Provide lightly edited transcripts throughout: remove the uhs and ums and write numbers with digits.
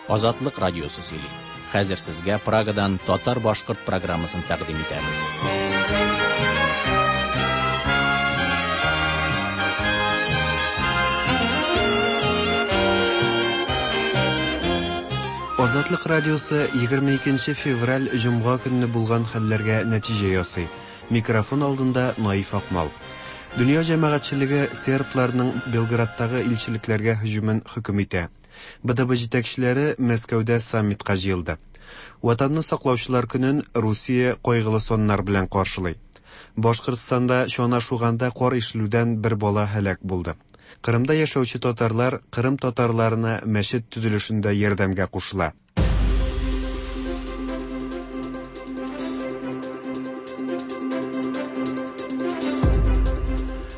Азатлык радиосы сөйли. Хәзер сезгә Прагадан татар-башкорт программасын тәкъдим итәбез. Азатлык радиосы 22 февраль җомга көнне булган хәлләргә нәтиҗә ясый. Микрофон алдында Наиф Акмал. Дөнья җәмәгатьчелеге сербларның Белградтагы илчелекләргә һөҗүмен хөкем итә. БДБ җитәкчеләре Мәскәүдә саммитка җыелды. Ватанны саклаучылар көнен Русия кайгылы саннар белән каршылый. Башкортстанда чана шуганда кар ишелүдән бер бала һәлак булды. Кырымда яшәүче татарлар Кырым татарларына мәчет төзелешендә ярдәмгә кушыла.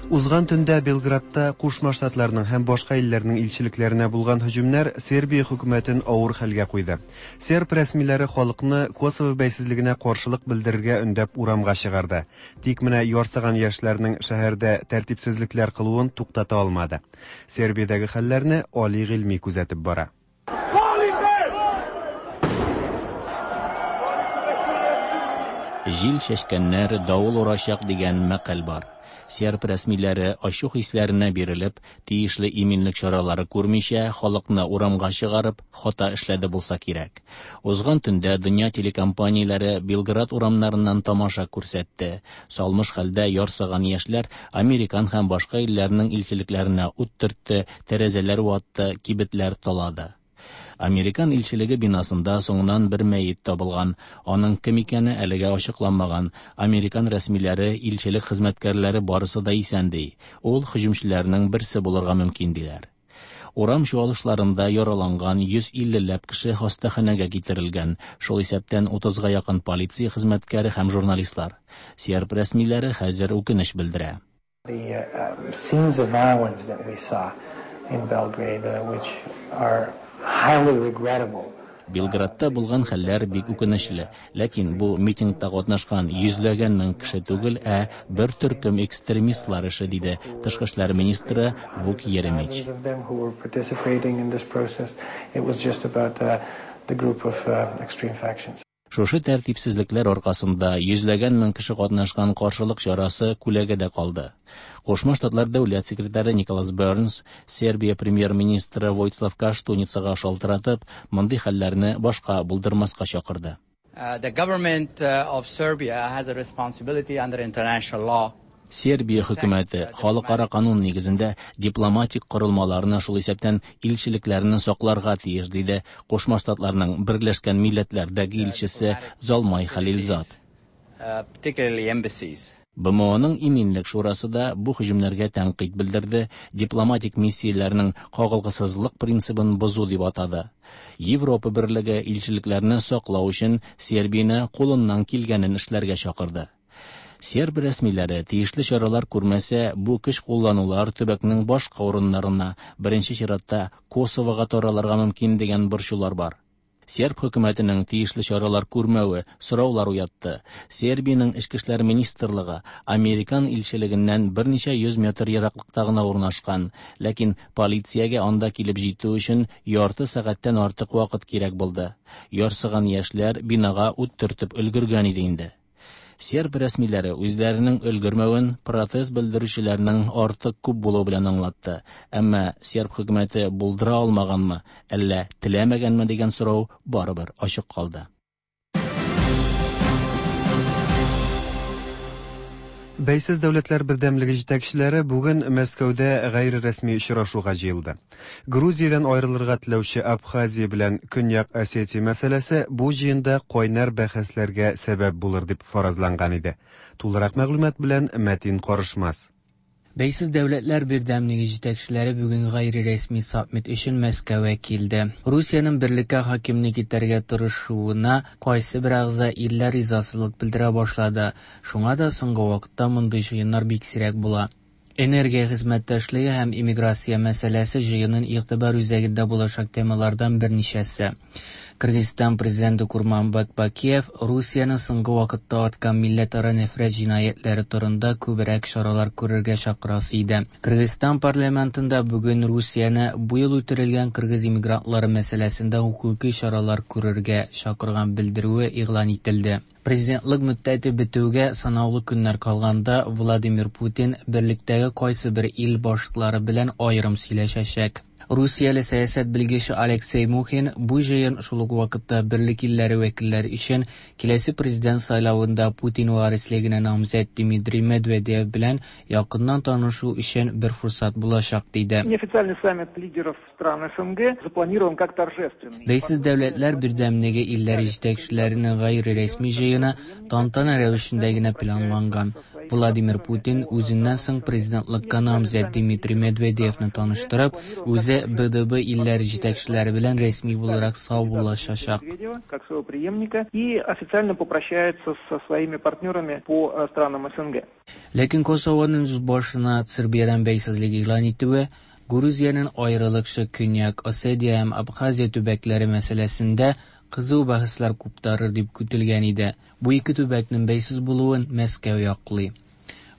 Узган төндә Белградта Кушма Штатларның һәм башка илләрнең илчелекләренә булган һөҗүмнәр Сербия хөкүмәтен авыр хәлгә куйды. Серб рәсмиләре халыкны Косово бәйсезлегенә каршылык белдерергә өндәп урамга чыгарды. Тик менә ярсыган яшьләрнең шәһәрдә тәртипсезлекләр кылуын туктата алмады. Сербиядәге хәлләрне Али Гыйльми күзәтеп бара. Җил чәчкәннәр давыл урачак дигән мәкаль бар. Серб рәсмиләре ачу хисләренә бирелеп, тиешле иминлек чаралары күрмичә, халыкны урамга чыгарып, хата эшләде булса кирәк. Узган төндә дөнья телекомпанияләре Белград урамнарыннан тамаша күрсәтте. Салмыш хәлдә ярсыган яшьләр американ һәм башка илләрнең илчелекләренә ут төртте, тәрәзәләр ватты, кибетләр талады. Американ илчелеге бинасында соңыннан бер мәет табылган. Аның кем икәне әлегә ачыкланмаган. Американ рәсмиләре, илчелек хезмәткәрләре барысы да исән ди. Ул һөҗүмчеләрнең берсе булырга мөмкин диләр. Урам чуалышларында яраланган 150 ләп кеше хастаханәгә китерелгән, шул исәптән 30га якын полиция хезмәткәре һәм журналистлар. Серб рәсмиләре хәзер үкенеч белдерә. The scenes of violence that we saw in Belgrade, which are highly regrettable. Белградта булган хәлләр бик үкенечле, ләкин бу митингта катнашкан йөзләгән мең кеше түгел, ә бер төркем экстремистлар эше, диде тышкы эшләр министры Вук Еремич. Thousands of them who were participating in this process. It was just about the group of extreme factions. Шушы тәртипсезлекләр аркасында йөзләгән мең кеше катнашкан каршылык чарасы күләгәдә калды. Кушма Штатлар дәүләт секретаре Николас Бернс Сербия премьер-министры Войцлав Каштуницага шалтыратып, мондый хәлләрне башка булдырмаска чакырды. The government of Serbia has a responsibility under international law. Сербия хөкүмәте халыкара канун нигезендә дипломатик корылмаларны, шул исәптән илчелекләрне сакларга тиеш, диде Кушма Штатларның Берләшкән Милләтләрдәге илчесе Залмай Халилзад. Particularly embassies. БМОның Иминлек шурасы да бу һөҗүмнәргә тәнкыйть белдерде, дипломатик миссияләрнең кагылгысызлык принцибын бозу дип атады. Европа берлеге илчелекләрне саклау өчен Сербияне кулыннан килгәнен эшләргә чакырды. Серб рәсмиләре тиешле чаралар күрмәсә, бу көч кулланулар төбәкнең башка урыннарына, беренче чиратта Косовога таралырга мөмкин дигән борчулар бар. Серб хөкүмәтенең тиешле чаралар күрмәве сораулар уятты. Сербиянең Эчке эшләр министрлыгы Американ илчелегеннән берничә йөз метр ераклыкта гына урнашкан, ләкин полициягә анда килеп җитү өчен ярты сәгатьтән артык вакыт кирәк булды. Ярсыган яшьләр бинага ут төртеп өлгергән иде инде. Серб рәсмиләре үзләренең өлгермәвен протест белдерүчеләрнең артык күп булуы белән аңлатты. Әмма серб хөкүмәте булдыра алмаганмы, әллә теләмәгәнме дигән сорау барыбер ачык калды. Бәйсез дәүләтләр бердәмлеге җитәкчеләре бүген Мәскәүдә гайре рәсми очрашуга җыелды. Грузиядән аерылырга теләүче Абхазия белән Көньяк Осетия мәсьәләсе бу җыенда кайнар бәхәсләргә сәбәп булыр дип фаразланган иде. Тулырак мәгълүмат белән Мәтин Карышмас. Бәйсез дәүләтләр бердәмлеге җитәкчеләре бүген гайре рәсми саммит өчен Мәскәүгә килде. Русиянең берлеккә хакимлек итәргә тырышуына кайсы бер әгъза илләр ризасызлык белдерә башлады. Шуңа да соңгы вакытта мондый җыеннар бик сирәк була. Энергия хезмәттәшлеге һәм иммиграция мәсьәләсе җыенның игътибар үзәгендә булачак темалардан берничәсе. Кыргызстан президенты Курманбек Бакиев Русиянең соңгы вакытта арткан милләтара нәфрәт җинаятьләре турында күбрәк чаралар күрергә чакырасы иде. Кыргызстан парламентында бүген Русияне бу ел үтерелгән кыргыз иммигрантлары мәсьәләсендә хокукый чаралар күрергә чакырган белдерүе игълан ителде. Президентлык мөддәте бетүгә санаулы көннәр калганда Владимир Путин берлектәге кайсыбер ил башлыклары белән аерым сөйләшәчәк. Русияле сәясәт белгече Алексей Мухин бу җыен шул ук вакытта берлек илләре вәкилләре өчен киләсе президент сайлавында Путин варислегенә намзәт Дмитрий Медведев белән якыннан танышу өчен бер форсат булачак диде. Неофициальный саммит лидеров стран СНГ запланирован как торжественный. Бәйсез дәүләтләр бердәмлеге илләре җитәкчеләренең гайре рәсми җыены тантана рәвешендә генә планланган. Владимир Путин үзеннән соң президентлыкка намзәт Дмитрий Медведевны таныштырып, үзе БДБ илләре җитәкчеләре белән рәсми буларак саубуллашачак. Как своего преемника и официально попрощается со своими партнерами по странам СНГ. Ләкин Косованың үз башына Сербиядән бәйсезлек игълан итүе Грузиянең аерылыкчы Көньяк Осетия һәм Абхазия төбәкләре мәсьәләсендә кызу бәхәсләр куптарыр дип көтелгән иде. Бу ике төбәкнең бәйсез булуын Мәскәү яклый.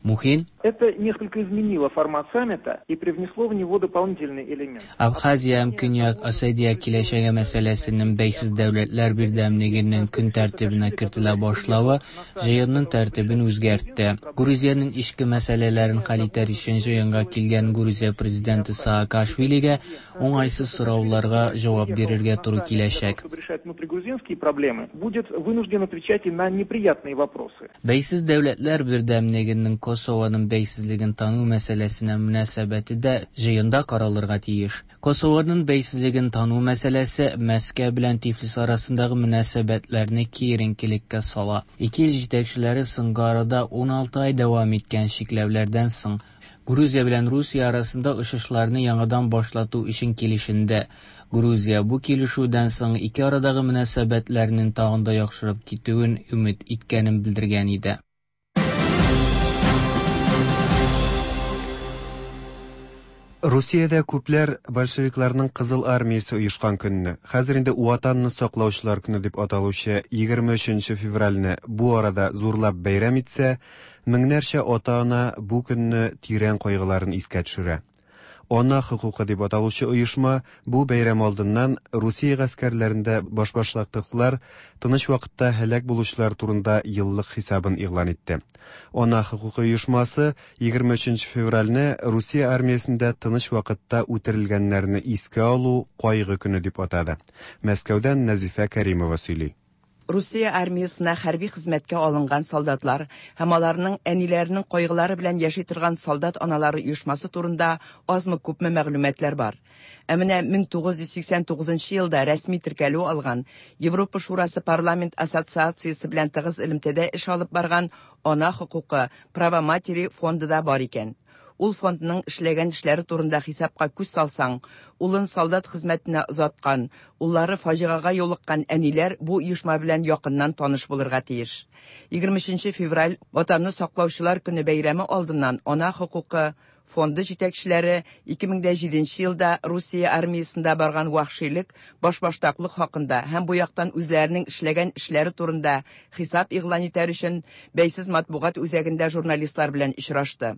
Мухин Это несколько изменило формат саммита и привнесло в него дополнительный элемент. Абхазия һәм Көньяк Осетия киләчәге мәсьәләсенең бәйсез дәүләтләр бердәмлегенең көн тәртибенә кертелә башлавы җыенның тәртибен үзгәртте. Грузиянең эчке мәсьәләләрен хәл итәр өчен җыенга килгән Грузия президенты Саакашвилигә уңайсыз сорауларга җавап бирергә туры киләчәк. Чтобы решать внутригрузинские проблемы, будет вынужден отвечать и на неприятные вопросы. Бәйсез дәүләтләр бердәмлегенең Косованың бәйсезлеген тану мәсьәләсенә мөнәсәбәте дә җыенда каралырга тиеш. Косованың бәйсезлеген тану мәсьәләсе Мәскәү белән Тифлис арасындагы мөнәсәбәтләрне киеренкелеккә сала. Ике ил җитәкчеләре соңгы арада 16 ай дәвам иткән чикләүләрдән соң Грузия белән Русия арасында очышларны яңадан башлату өчен килешенде. Грузия бу килешүдән соң ике арадагы мөнәсәбәтләрнең тагын да яхшырып китүен өмет иткәнен белдергән иде. Русиядә күпләр большевикларның Кызыл армиясе оешкан көнне, хәзер инде Ватанны саклаучылар көне дип аталучы 23 февральне бу арада зурлап бәйрәм итсә, меңнәрчә ата-ана бу көнне тирән кайгыларын искә төшерә. Ана хокукы дип аталучы оешма бу бәйрәм алдыннан Русия гаскәрләрендә башбаштаклыклар, тыныч вакытта һәлак булучылар турында еллык хисабын игълан итте. Ана хокукы оешмасы 23 февральне Русия армиясендә тыныч вакытта үтерелгәннәрне искә алу кайгы көне дип атады. Мәскәүдән Нәзифә Кәримова сөйли. Русия армиясына хәрби хезмәткә алынган солдатлар һәм аларның әниләренең кайгылары белән яши торган солдат аналары оешмасы турында азмы күпме мәгълүматлар бар. Ә менә 1989 елда рәсми теркәлү алган Европа Шурасы парламент ассоциациясе белән тыгыз элемтәдә эш алып барган Ана хокукы Право матери фонды да бар икән. Ул фондның эшләгән эшләре турында хисапка күз салсаң, улын солдат хезмәтенә озаткан, уллары фаҗигагә юлыккан әниләр бу оешма белән якыннан таныш булырга тиеш. 23 февраль Ватанны саклаучылар көне бәйрәме алдыннан Ана хокукы фонды җитәкчеләре 2007 елда Русия армиясендә барган вәхшилек, башбаштаклык хакында һәм бу яктан үзләренең эшләгән эшләре турында хисап игълан итәр өчен бәйсез матбугат үзәгендә журналистлар белән очрашты.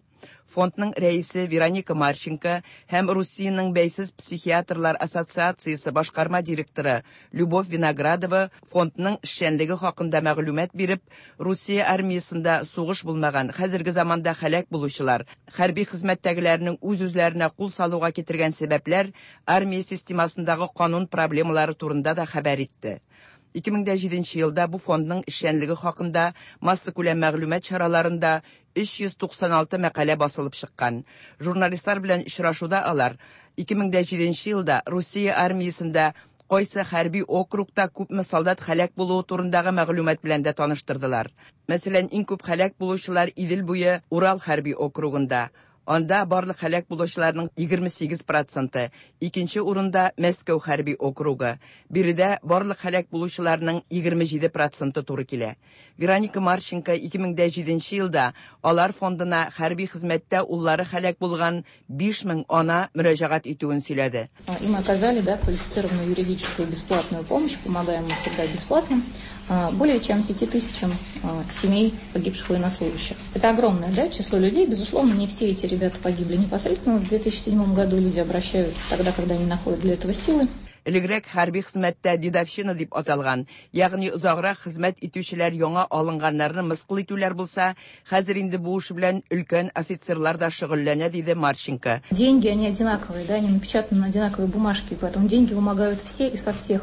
Фондның рәисе Вероника Марченко һәм Русиянең бәйсез психиатрлар ассоциациясе башкарма директоры Любовь Виноградова фондның эшчәнлеге хакында мәгълүмат биреп, Русия армиясендә сугыш булмаган, хәзерге заманда һәлак булучылар, хәрби хезмәттәгеләрнең үз-үзләренә кул салуга китергән сәбәпләр, армия системасындагы канун проблемалары турында да хәбәр итте. 2007 елда бу фондның эшчәнлеге хакында массакүләм мәгълүмат чараларында 396 мәкалә басылып чыккан. Журналистлар белән очрашуда алар 2007 елда Русия армиясендә кайсы хәрби округта күпме солдат һәлак булуы турындагы мәгълүмат белән дә таныштырдылар. Мәсәлән, иң күп һәлак булучылар Идел буе Урал хәрби округында. Анда барлык һәлак булучыларның 28 проценты, икенче урында Мәскәү хәрби округы. Биредә барлык һәлак булучыларның 27 проценты туры килә. Вероника Марченко 2007 елда алар фондына хәрби хезмәттә уллары һәлак булган 5000 ана мөрәҗәгать итүен сөйләде. Им оказали, да, квалифицированную юридическую бесплатную помощь, помогаем мы всегда бесплатно, более чем 5000 семей погибших военнослужащих. Это огромное, да, число людей. Безусловно, не все эти ребята погибли непосредственно. В 2007 году люди обращаются тогда, когда они находят для этого силы. Элегрәк хәрби хезмәттә дедовщина дип аталган, ягъни озаграк хезмәт итүчеләр яңа алынганнарны мыскыл итүләр булса, хәзер инде бу эш белән өлкән офицерлар да шөгыльләнә, диде Марченко. Деньги, они одинаковые, да, они напечатаны на одинаковой бумажке, поэтому деньги вымогают все и со всех.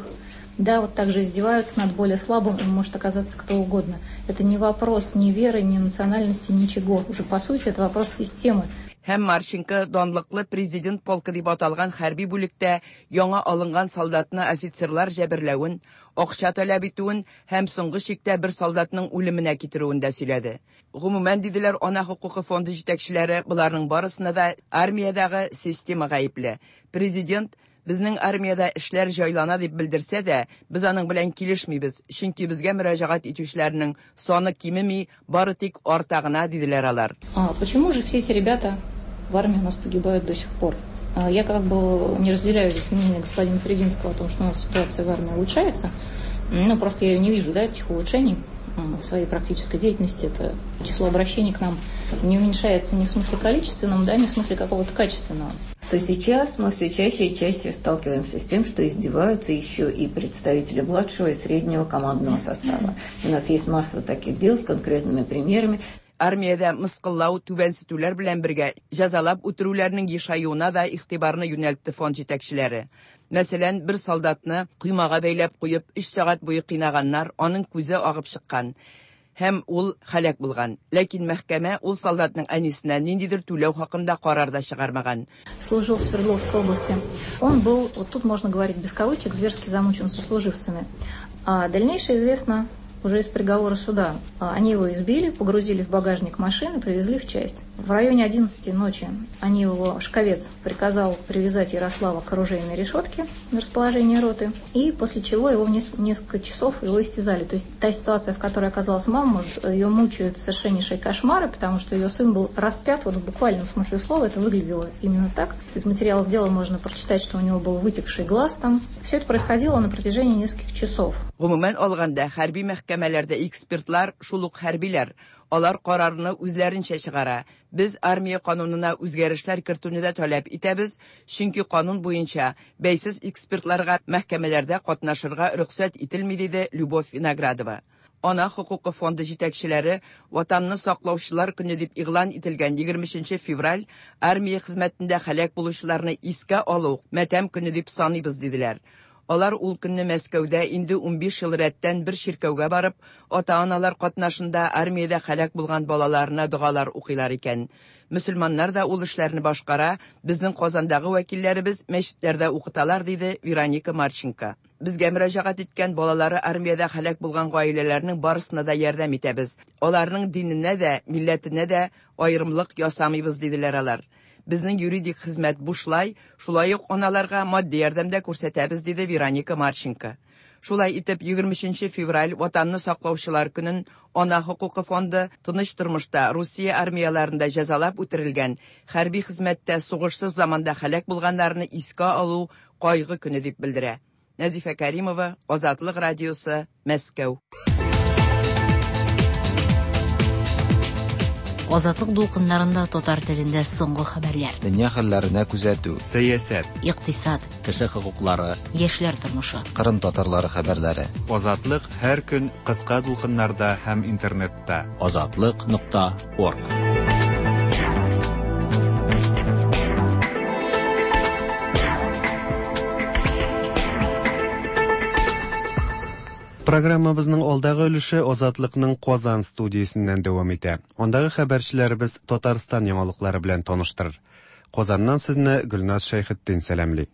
Да, вот так же издеваются над более слабым, им может оказаться кто угодно. Это не вопрос ни веры, ни национальности, ничего. Уже по сути это вопрос системы. Һәм Марченко данлыклы президент полкы дип аталган хәрби бүлектә яңа алынган солдатны офицерлар җәберләвен, акча таләп итүен һәм соңгы чиктә бер солдатның үлеменә китерүен дә сөйләде. Гомумән, диделәр Ана хокукы фонды җитәкчеләре, боларның барысына да армиядәге система гаепле. Президент безнең армиядә эшләр җайлана дип белдерсә дә, без аның белән килешмибез, чөнки безгә мөрәҗәгать итүчеләрнең саны кимеми, бары тик арта гына, диделәр алар. А почему же все эти ребята в армии у нас погибают до сих пор? Я как бы не разделяю здесь мнение господина Фридинского о том, что у нас ситуация в армии улучшается. Ну, просто я ее не вижу, да, этих улучшений в своей практической деятельности. Это число обращений к нам не уменьшается ни в смысле количественном, да, ни в смысле какого-то качественного. То сейчас мы все чаще и чаще сталкиваемся с тем, что издеваются еще и представители младшего и среднего командного состава. У нас есть масса таких дел с конкретными примерами. Армиядә мыскыллау, түбәнсетүләр белән бергә җәзалап үтерүләрнең ешаюына да игътибарны юнәлтте фонд җитәкчеләре. Мәсәлән, бер солдатны коймага бәйләп куеп 3 сәгать буе кыйнаганнар, аның күзе агып чыккан һәм ул һәлак булган. Ләкин мәхкәмә ул солдатның әнисенә ниндидер түләү хакында карар да чыгармаган. Служил в Свердловской области. Он был, вот тут можно говорить без кавычек, зверски замучен сослуживцами. А дальнейшее известно уже из приговора суда. Они его избили, погрузили в багажник машины, привезли в часть. В районе 11 ночи они его, Шковец приказал привязать Ярослава к оружейной решетке на расположении роты, и после чего его в несколько часов его истязали. То есть та ситуация, в которой оказалась мама, ее мучают совершеннейшие кошмары, потому что ее сын был распят, вот в буквальном смысле слова, это выглядело именно так. Из материалов дела можно прочитать, что у него был вытекший глаз там. Все это происходило на протяжении нескольких часов. Гомумән алганда, хәрби мәхкәмәләрдә экспертлар шул ук хәрбиләр. Алар карарны үзләренчә чыгара. Без армия канунына үзгәрешләр кертүне дә таләп итәбез, чөнки канун буенча бәйсез экспертларга мәхкәмәләрдә катнашырга рөхсәт ителми, диде Любовь Виноградова. Ана хокукы фонды җитәкчеләре Ватанны саклаучылар көне дип игълан ителгән 23 февраль армия хезмәтендә һәлак булучыларны искә алу матәм көне дип саныйбыз, диделәр. Алар ул көнне Мәскәүдә инде 15 ел рәттән бер чиркәүгә барып, ата-аналар катнашында армиядә һәлак булган балаларына догалар укыйлар икән. Мөселманнар да ул эшләрне башкара, безнең Казандагы вәкилләребез мәчетләрдә укыталар, диде Вероника Марченко. Безгә мөрәҗәгать иткән балалары армиядә һәлак булган гаиләләрнең барысына да ярдәм итәбез. Аларның диненә дә, милләтенә дә аерымлык ясамыйбыз, диделәр алар. Безнең юридик хезмәт бушлай, шулай ук аналарга матди ярдәм дә күрсәтәбез, диде Вероника Марченко. Шулай итеп, 23 февраль Ватанны саклаучылар көнен Ана хокукы фонды тыныч тормышта Русия армияләрендә җәзалап үтерелгән, хәрби хезмәттә сугышсыз заманда һәлак булганнарны искә алу кайгы көне дип белдерә. Нәзифә Каримова, Азатлык радиосы, Мәскәү. Азатлык дулкыннарында татар телендә соңгы хәбәрләр. Дөнья хәлләренә күзәтү. Сәясәт. Икътисад. Кеше хокуклары. Яшьләр тормышы. Кырым татарлары хәбәрләре. Азатлык һәр көн кыска дулкыннарда һәм интернетта. Азатлык.орг. Программабызның алдагы өлеше Азатлыкның Казан студиясеннән дәвам итә. Андагы хәбәрчеләребез Татарстан яңалыклары белән таныштырыр. Казаннан сезне Гөлназ Шәйхетдин сәламли.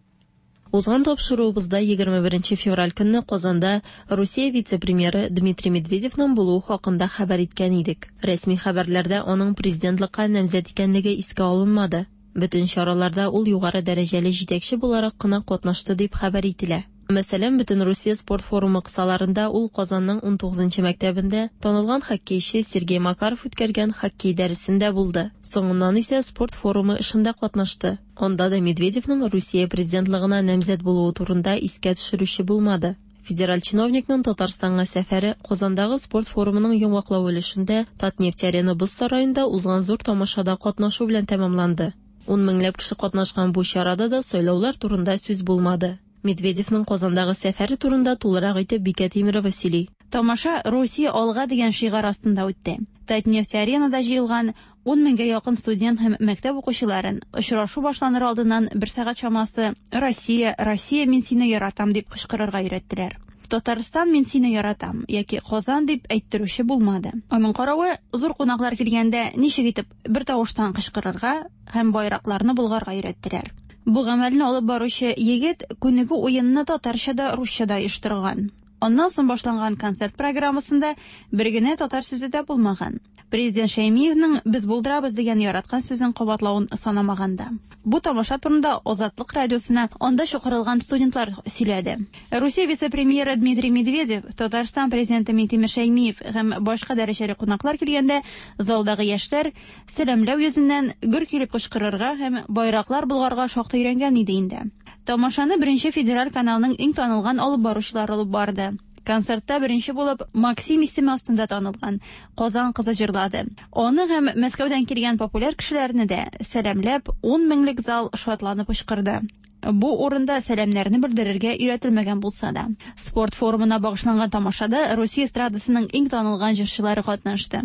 Узган тапшыруыбызда 21 февраль көнне Казанда Русия вице-премьеры Дмитрий Медведевның булуы хакында хәбәр иткән идек. Рәсми хәбәрләрдә аның президентлыкка намзәт икәнлеге искә алынмады. Бөтен чараларда ул югары дәрәҗәле җитәкче буларак кына катнашты дип хәбәр ителә. Мәсәлән, Бөтенрусия спорт форумы кысаларында ул Казанның 19 нчы мәктәбендә танылган хоккейчы Сергей Макаров үткәргән хоккей дәресендә булды. Соңыннан исә спорт форумы эшендә катнашты. Анда да Медведевның Русия президентлыгына намзәт булуы турында искә төшерүче булмады. Федераль чиновникның Татарстанга сәфәре Казандагы спорт форумының йомгаклау өлешендә Татнефть-Арена боз сараенда узган зур тамашада катнашу белән тәмамланды. Ун меңләп кеше катнашкан бу чарада да сайлаулар турында сүз булмады. Медведевның Казандагы сәфәре турында тулырак итеп Бикә Тимерова сөйли. Тамаша Русия алга дигән шигарь астында үтте. Татнефть-Аренада җыелган 10 меңгә якын студент һәм мәктәп укучыларын очрашу башланыр алдыннан бер сәгать чамасы Россия, Россия, мин сине яратам дип кычкырырга өйрәттеләр. Татарстан, мин сине яратам яки Казан дип әйттерүче булмады. Аның каравы, зур кунаклар килгәндә ничек итеп бер тавыштан кычкырырга һәм байракларны болгарга өйрәттеләр. Бу гамәлне алып баручы егет күнегү уенны татарча да, русча да оештырган. Аннан соң башланган концерт программасында бер генә татар сүзе дә булмаган. Президент Шәймиевның без булдырабыз дигән яраткан сүзен кабатлавын санамаганда. Бу тамаша турында Азатлык радиосына анда чакырылган студентлар сөйләде. Русия вице-премьеры Дмитрий Медведев, Татарстан президенты Минтимер Шәймиев һәм башка дәрәҗәле кунаклар килгәндә залдагы яшьләр сәламләү йөзеннән гөр килеп кычкырырга һәм байраклар болгарга шактый өйрәнгән иде инде. Тамашаны беренче федераль каналның иң танылган алып баручылары алып барды. Концертта беренче булып Максим исеме астында танылган Казан кызы җырлады. Аны һәм Мәскәүдән килгән популяр кешеләрне дә сәламләп 10 меңлек зал шатланып кычкырды. Бу урында сәламнәрне белдерергә өйрәтелмәгән булса да. Спорт форумына багышланган тамашада Русия эстрадасының иң танылган җырчылары катнашты.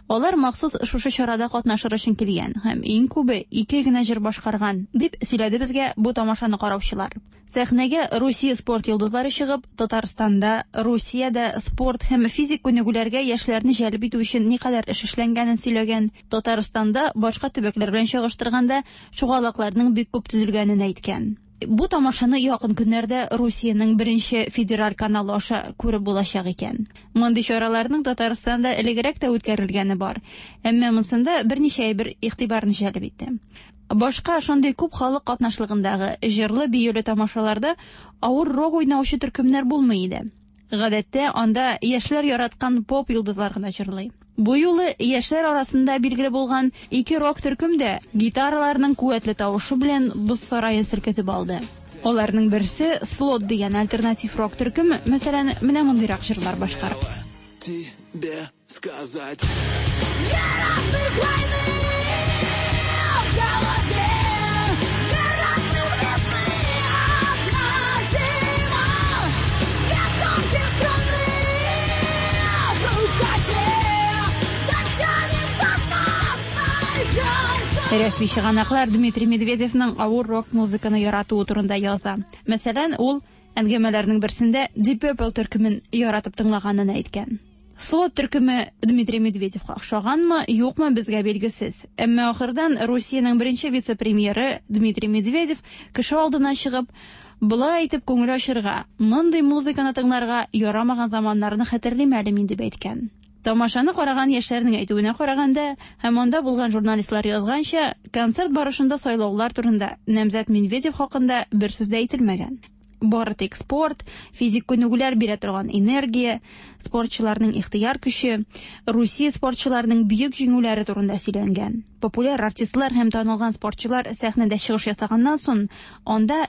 Алар махсус шушы чарада катнашыр өчен килгән һәм иң күбе ике генә җыр башкарган, дип сөйләде безгә бу тамашаны караучылар. Сәхнәгә Русия спорт йолдызлары чыгып, Татарстанда, Русиядә спорт һәм физик күнегүләргә яшьләрне җәлеп итү өчен никадәр эш эшләнгәнен сөйләгән. Татарстанда башка төбәкләр белән чагыштырганда шугалакларның бик күп төзелгәнен әйткән. Бу тамашаны якын көннәрдә Русиянең беренче федераль каналы аша күреп булачак икән. Мондый чараларның Татарстанда элегрәк тә үткәрелгәне бар, әмма монсында берничә әйбер игътибарны җәлеп итте. Башка шундый күп халык катнашлыгындагы җырлы-биюле тамашаларда авыр рок уйнаучы төркемнәр булмый иде. Гадәттә анда яшьләр яраткан поп йолдызлар гына җырлый. Бу юлы яшьләр арасында билгеле булган ике рок төркем дә гитараларның куәтле тавышы белән боз сараен селкетеп алды. Аларның берсе Слот дигән альтернатив рок төркеме, мәсәлән, менә мондыйрак җырлар башкара. Тебе сказать. Две разных войны в голове, две разных весны, одна зима, две тонких струны в рукаве. Дотянем до дна, сойдемся. Рәсми чыганаклар Дмитрий Медведевның авыр рок музыканы яратуы турында яза. Мәсәлән, ул әңгәмәләрнең берсендә Deep Purple төркемен яратып тыңлаганын әйткән. Слот төркеме Дмитрий Медведевка охшаганмы, юкмы безгә билгесез. Әмма ахырдан Русиянең беренче вице-премьеры Дмитрий Медведев кеше алдына чыгып, болай әйтеп күңел ачырга, мондый музыканы тыңларга ярамаган заманнарны хәтерлим әле мин дип әйткән. Тамашаны караган яшьләрнең әйтүенә караганда һәм анда булган журналистлар язганча, концерт барышында сайлаулар турында намзәт Медведев хакында бер сүз дә әйтелмәгән. Бары тик спорт, физик күнегүләр бирә торган энергия, спортчыларның ихтыяр көче, Русия спортчыларының бөек җиңүләре турында сөйләнгән. Популяр артистлар һәм танылган спортчылар сәхнәдә чыгыш ясаганнан соң, анда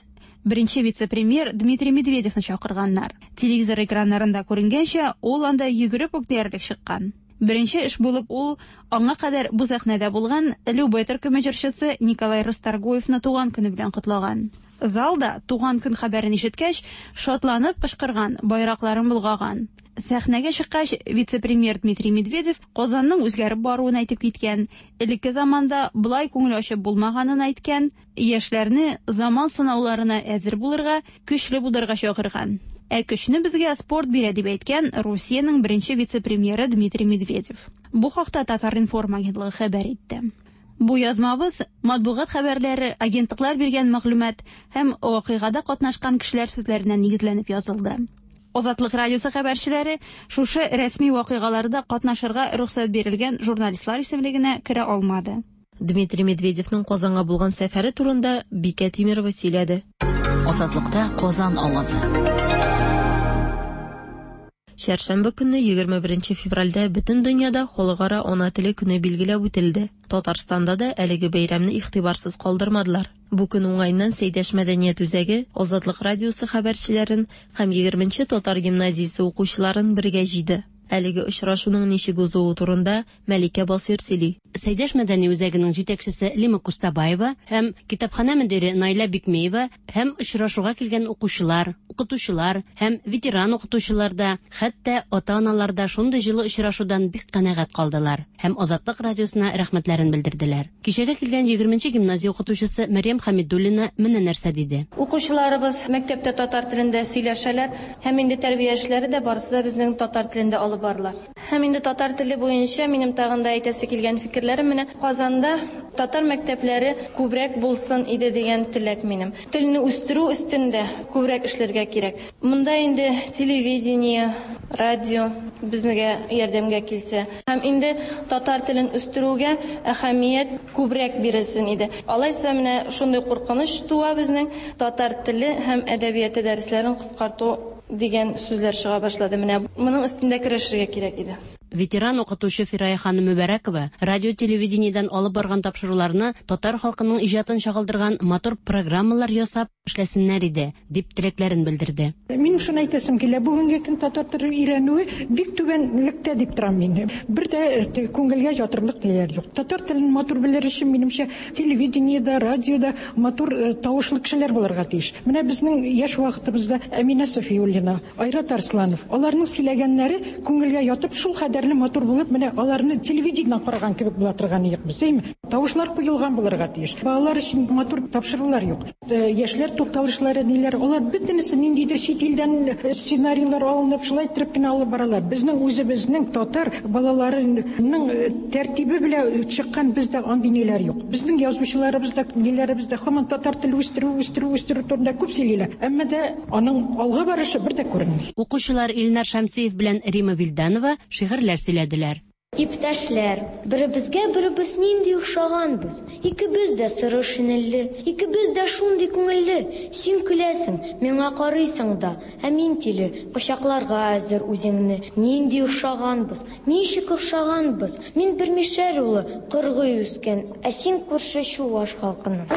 беренче вице-премьер Дмитрий Медведевны чакырганнар. Телевизор экраннарында күренгәнчә, ул анда йөгереп үк диярлек чыккан. Беренче эш булып ул аңа кадәр бу сәхнәдә булган Любэ төркеме җырчысы Николай Расторгуевны туган көне белән котлаган. Залда туган көн хәбәрен ишеткәч, шатланып кычкырган, байракларын болгаган. Сәхнәгә чыккач, вице-премьер Дмитрий Медведев Казанның үзгәреп баруын әйтеп киткән, элекке заманда болай күңел ачып булмаганын әйткән, яшьләрне заман сынауларына әзер булырга, көчле булырга чакырган. Ә көчне безгә спорт бирә дип әйткән Русиянең беренче вице-премьеры Дмитрий Медведев. Бу хакта Татар-информ агентлыгы хәбәр итте. Бу язмабыз матбугат хәбәрләре, агентлыклар биргән мәгълүмат һәм вакыйгада катнашкан кешеләр сүзләренә нигезләнеп язылды. Азатлык радиосы хәбәрчеләре шушы рәсми вакыйгаларда катнашырга рөхсәт бирелгән журналистлар исемлегенә керә алмады. Дмитрий Медведевның Казанга булган сәфәре турында Бикә Тимирова сөйләде. Азатлыкта Казан авазы. Чәршәмбе көнне 21 февральдә бөтен дөньяда Халыкара ана теле көне билгеләп үтелде. Татарстанда да әлеге бәйрәмне игътибарсыз калдырмадылар. Бу көн уңаеннан Сәйдәш мәдәният үзәге Азатлык радиосы хәбәрчеләрен һәм 20 татар гимназиясе укучыларын бергә җыйды. Әлеге очрашуның ничек узуы турында Мәликә Басыйр сөйли. Сәйдәш мәдәни үзәгенең җитәкчесе Лима Кустабаева һәм китапханә мөдире Наилә Бикмеева һәм очрашуга килгән укучылар, укытучылар һәм ветеран укытучылар да, хәтта ата-аналар да шундый җылы очрашудан бик канәгать калдылар һәм Азатлык радиосына рәхмәтләрен белдерделәр. Кичәгә килгән 20 гимназия укытучысы Мәрьям Хәмидуллина менә нәрсә диде. Укучыларыбыз мәктәптә татар телендә сөйләшәләр һәм инде тәрбия эшләре дә барысы да безнең татар телендә алып барыла. Һәм инде татар теле буенча минем тагын да әйтәсе килгән фикерләрем менә Казанда татар мәктәпләре күбрәк булсын иде дигән теләк минем. Телне үстерү өстендә күбрәк эшләргә кирәк. Монда инде телевидение, радио безгә ярдәмгә килсә. Һәм инде татар телен үстерүгә әһәмият күбрәк бирелсен иде. Алайса менә шундый куркыныч туа безнең татар теле һәм әдәбияты дәресләрен кыскарту дигән сүзләр чыга башлады. Менә моның өстендә көрәшергә кирәк иде. Ветеран укытучы Фирая ханым Мөбәрәкова радио телевидениедән алып барган тапшыруларны татар халкының иҗатын чагылдырган матур программалар ясап эшләсеннәр иде, дип теләкләрен белдерде. Мин шуны әйтәсем килә, бүгенге көн татар теле өйрәнүе бик түбәнлектә дип торам мин. Бер дә күңелгә ятырлык ниләр юк. Татар телен матур белер өчен, минемчә, телевидениедә, радиода матур тавышлы кешеләр булырга тиеш. Менә безнең яшь вакытыбызда Әминә Софиуллина, Айрат Арсланов, аларның сөйләгәннәре күңелгә ятып, шул кадәрле матур булып, менә аларны телевидениедән караган кебек була торган идек без, әйме? Тавышлар куелган булырга тиеш. Балалар өчен матур тапшырулар юк. Яшьләр тукталышлары ниләр, алар бөтенесе ниндидер чит илдән сценарийлар алынып, шулай иттереп кенә алып баралар. Безнең үзебезнең татар балаларының тәртибе белән чыккан бездә андый ниләр юк. Безнең язучыларыбыз да, ниләребез дә һаман татар теле үстерү, үстерү, үстерү турында күп сөйлиләр. Әмма дә аның алга барышы бер дә күренми. Укучылар Илнар Шәмсиев белән Рима Вилданова шигырьләр сөйләделәр. Иптәшләр, беребезгә беребез нинди охшаганбыз. Икебез дә соры шинельле, икебез дә шундый күңелле. Син көләсең, миңа карыйсың да, ә мин тиле, кочакларга әзер үзеңне. Нинди охшаганбыз, ничек охшаганбыз. Мин бер мишәр улы, кыргый үскән, ә син күрше чуваш халкының.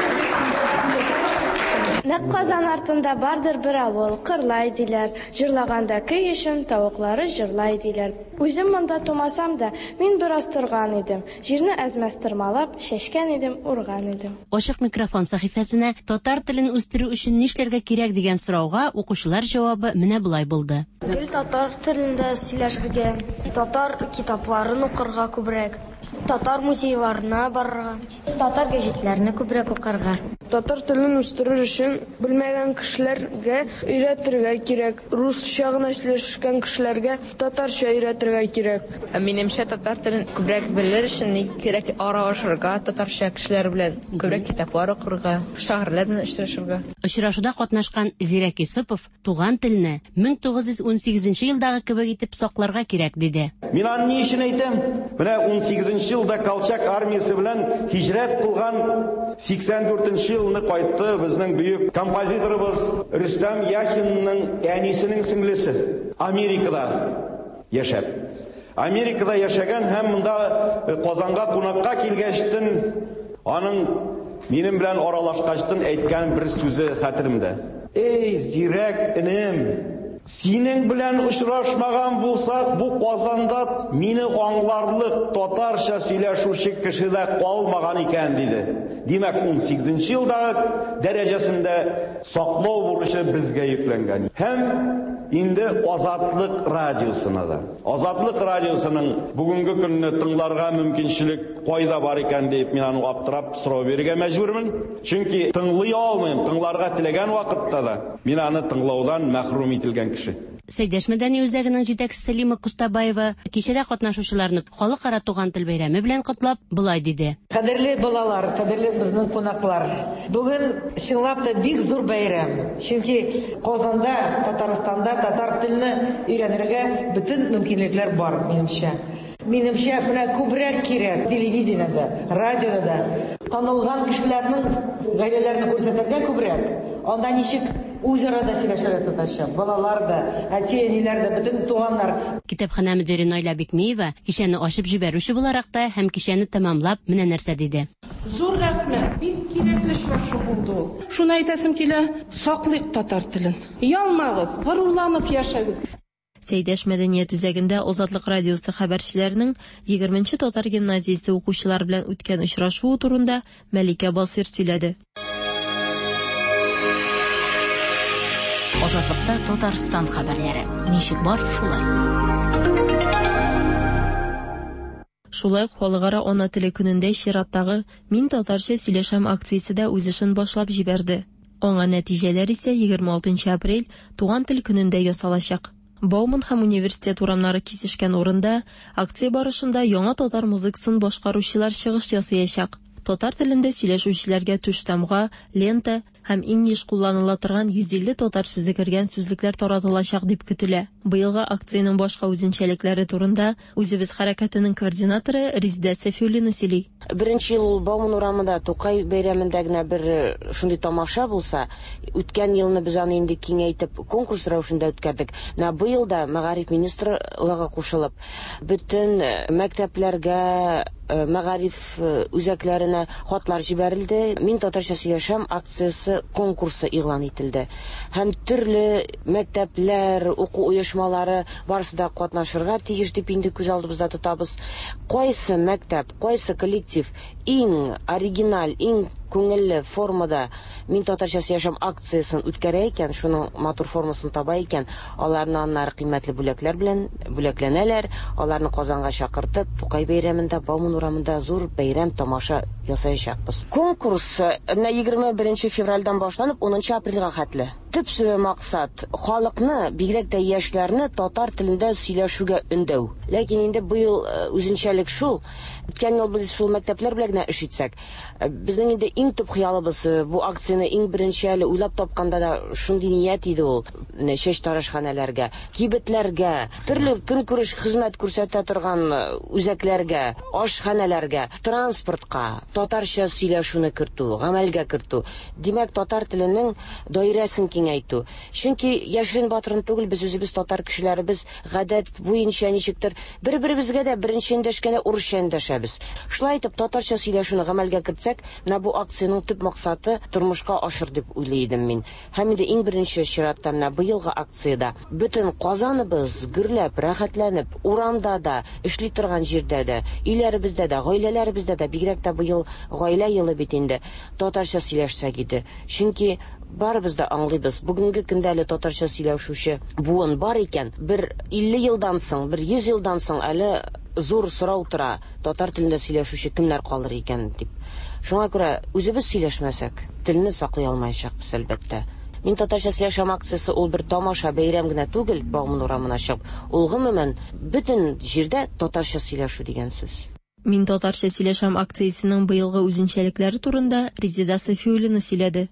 Нәкъ Казан артында бардыр бер авыл, Кырлай диләр. Җырлаганда көй өчен тавыклары җырлай диләр. Үзем монда тумасам да, мин бераз торган идем. Җирне әз-мәз тырмалап, чәчкән идем, урган идем. Ачык микрофон сәхифәсенә татар телен үстерү өчен нишләргә кирәк дигән сорауга укучылар җавабы менә болай булды. Гел татар телендә сөйләшергә, татар китапларын укырга күбрәк, татар музейларына барырга, татар гәҗитләрне күбрәк укырга. Татар телен үстерер өчен белмәгән кешеләргә өйрәтергә кирәк. Русча гына сөйләшкән кешеләргә татарча өйрәтергә кирәк. Минемчә, татар телен күбрәк белер өчен кирәк аралашырга, татарча кешеләр белән күбрәк китаплар укырга, шагыйрьләр белән очрашырга. Очрашуда катнашкан Зирәк Юсупов туган телне 1918 елдагы кебек итеп сакларга кирәк диде. Мин аны ни өчен әйтәм? Менә 18 елда Колчак армиясе белән һиҗрәт кылган 84 елны кайтты безнең бөек композиторыбыз Рөстәм Яхинның әнисенең сеңлесе Америкада яшәп. Америкада яшәгән һәм монда Казанга кунакка килгәчтен аның минем белән аралашкачтын әйткән бер сүзе хәтеремдә. Эй, зирәк энем, синең белән очрашмаган булсак, бу Казанда мине аңларлык татарча сөйләшүче кеше дә калмаган икән, диде. Димәк, 18 елдагы дәрәҗәсендә саклау бурычы безгә йөкләнгән. Һәм инде Азатлык радиосына да. Азатлык радиосының бүгенге көнне тыңларга мөмкинчелек кайда бар икән дип мин аны аптырап сорау бирергә мәҗбүрмен. Чөнки тыңлый алмыйм, тыңларга теләгән вакытта да мин аны тыңлаудан мәхрүм ителгән кеше. Сәйдәш мәдәни үзәгенең җитәкчесе Лима Кустабаева кичәдә катнашучыларны Халыкара туган тел бәйрәме белән котлап, болай диде. Кадерле балалар, кадерле безнең кунаклар. Бүген чынлап та бик зур бәйрәм. Чөнки Казанда, Татарстанда татар телне өйрәнергә бөтен мөмкинлекләр бар, минемчә. Минемчә, менә күбрәк кирәк телевидениедә, радиода да танылган кешеләрнең гаиләләрен күрсәтергә күбрәк. Анда ничек үзара да сөйләшәләр татарча. Балалар да, әти-әниләр дә, бөтен туганнар. Китапханә мөдире Наилә Бикмиева кичәне ачып җибәрүче буларак та һәм кичәне тәмамлап менә нәрсә диде. Зур рәхмәт, бик кирәкле очрашу булды ул. Шуны әйтәсем килә, саклыйк татар телен. Оялмагыз, горурланып яшәгез. Сәйдәш мәдәният үзәгендә Азатлык радиосы хәбәрчеләренең 20 нче татар гимназиясе укучылары белән үткән очрашуы турында Мәликә Басыйр сөйләде. Азатлыкта Татарстан хәбәрләре. Ничек бар, шулай. Шулай ук Халыкара ана теле көнендә чираттагы Мин татарча сөйләшәм акциясе дә үз эшен башлап җибәрде. Аңа нәтиҗәләр исә 26 нчы апрель Туган тел көнендә ясалачак. Бауман һәм Университет урамнары кисешкән урында акция барышында яңа татар музыкасын башкаручылар чыгыш ясыячак. Татар телендә сөйләшүчеләргә түштамга, лента һәм иң еш кулланыла торган 150 татар сүзе кергән сүзлекләр таратылачак дип көтелә. Быелгы акциянең башка үзенчәлекләре турында Үзебез хәрәкәтенең координаторы Резидә Сәфиуллина сөйли. Беренче ел ул Бауман урамында Тукай бәйрәмендә генә бер шундый тамаша булса, үткән елны без аны инде киңәйтеп конкурс рәвешендә үткәрдек. Менә быел да мәгариф министрлыгы кушылып, бөтен мәктәпләргә, мәгариф үзәкләренә хатлар җибәрелде. Мин татарча сөйләшәм акциясе конкурсы игълан ителде. Һәм төрле мәктәпләр, уку оешмалары барысы да катнашырга тиеш дип инде күз алдыбызда тотабыз. Кайсы мәктәп, кайсы коллектив иң оригиналь, иң күңелле формада Мин татарча сөйләшәм акциясен үткәрә икән, шуның матур формасын таба икән, аларны аннары кыйммәтле бүләкләр белән бүләкләнәләр, аларны Казанга чакыртып, Тукай бәйрәмендә, Бауман урамында зур бәйрәм, тамаша ясаячакбыз. Конкурс менә 21 февральдән башланып, 10 апрельгә хәтле. Төп максат, халыкны, бигрәк тә яшьләрне татар телендә сөйләшүгә өндәү. Ләкин инде быел үзенчәлек шул, үткән ел без шул мәктәпләр белән генә эш итсәк, Безнең инде иң төп хыялыбыз бу акцияне иң беренче әле уйлап тапканда да шундый ният иде ул. Чәчтарашханәләргә, кибетләргә, төрле көнкүреш хезмәт күрсәтә торган үзәкләргә, ашханәләргә, транспортка татарча сөйләшүне кертү, гамәлгә кертү. Димәк, татар теленең даирәсен киңәйтү. Чөнки яшерен-батырын түгел, без үзебез татар кешеләребез гадәт буенча ничектер бер-беребезгә дә беренче эндәшкәндә урысча эндәшәбез. Шулай итеп, татарча сөйләшүне гамәлгә кертсәк, менә бу акциянең төп максаты тормышка ашыр дип уйлый идем мин. Һәм инде иң беренче чиратта менә быелгы акциядә бөтен Казаныбыз гөрләп, рәхәтләнеп, урамда да, эшли торган җирдә дә, өйләребездә дә, гаиләләребездә дә, бигрәк тә быел Гаилә елы бит инде, татарча сөйләшсәк иде. Чөнки барыбыз да аңлыйбыз, бүгенге көндә әле татарча сөйләшүче буын бар икән, бер 50 елдан соң, бер 100 елдан соң әле зур сорау тора, татар телендә сөйләшүче кемнәр калыр икән дип. Шуңа күрә үзебез сөйләшмәсәк, телне саклый алмаячакбыз, әлбәттә. Мин татарча сөйләшәм акциясе ул бер тамаша, бәйрәм генә түгел, Бауман урамына чыгып, ул гомумән бөтен җирдә татарча сөйләшү дигән сүз. Мин татарча сөйләшәм акциясенең быелгы үзенчәлекләре турында Резеда Сафиуллина сөйләде.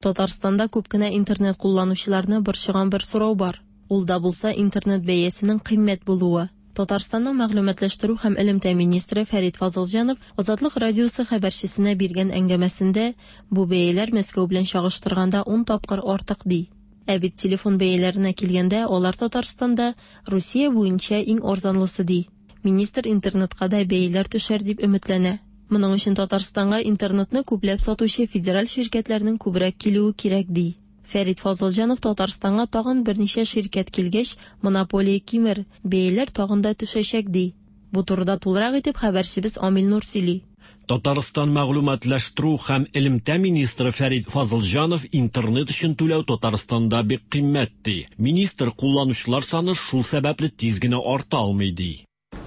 Татарстанда күп кенә интернет кулланучыларны борчыган бер сорау бар. Ул да булса интернет бәясенең кыйммәт булуы. Татарстанның мәгълүматлаштыру һәм элемтә министры Фәрит Фазылҗанов Азатлык радиосы хәбәрчесенә биргән әңгәмәсендә бу бәяләр Мәскәү белән чагыштырганда ун тапкыр артык ди. Ә бит телефон бәяләренә килгәндә, алар Татарстанда Русия буенча иң арзанлысы ди. Министр интернетка да бәяләр төшәр дип өметләнә. Моның өчен Татарстанга интернетны күпләп сатучы федераль ширкәтләрнең күбрәк килүе кирәк ди. Фәрит Фазылҗанов Татарстанга тагын берничә ширкәт килгәч, монополия кимер, бәяләр тагын да төшәчәк ди. Бу турыда тулырак итеп хәбәрчебез Амил Нур сөйли. Татарстан мәгълүматлаштыру һәм элемтә министры Фәрит Фазылҗанов интернет өчен түләү Татарстанда бик кыйммәт ди. Министр кулланучылар саны шул сәбәпле тиз генә арта алмый ди.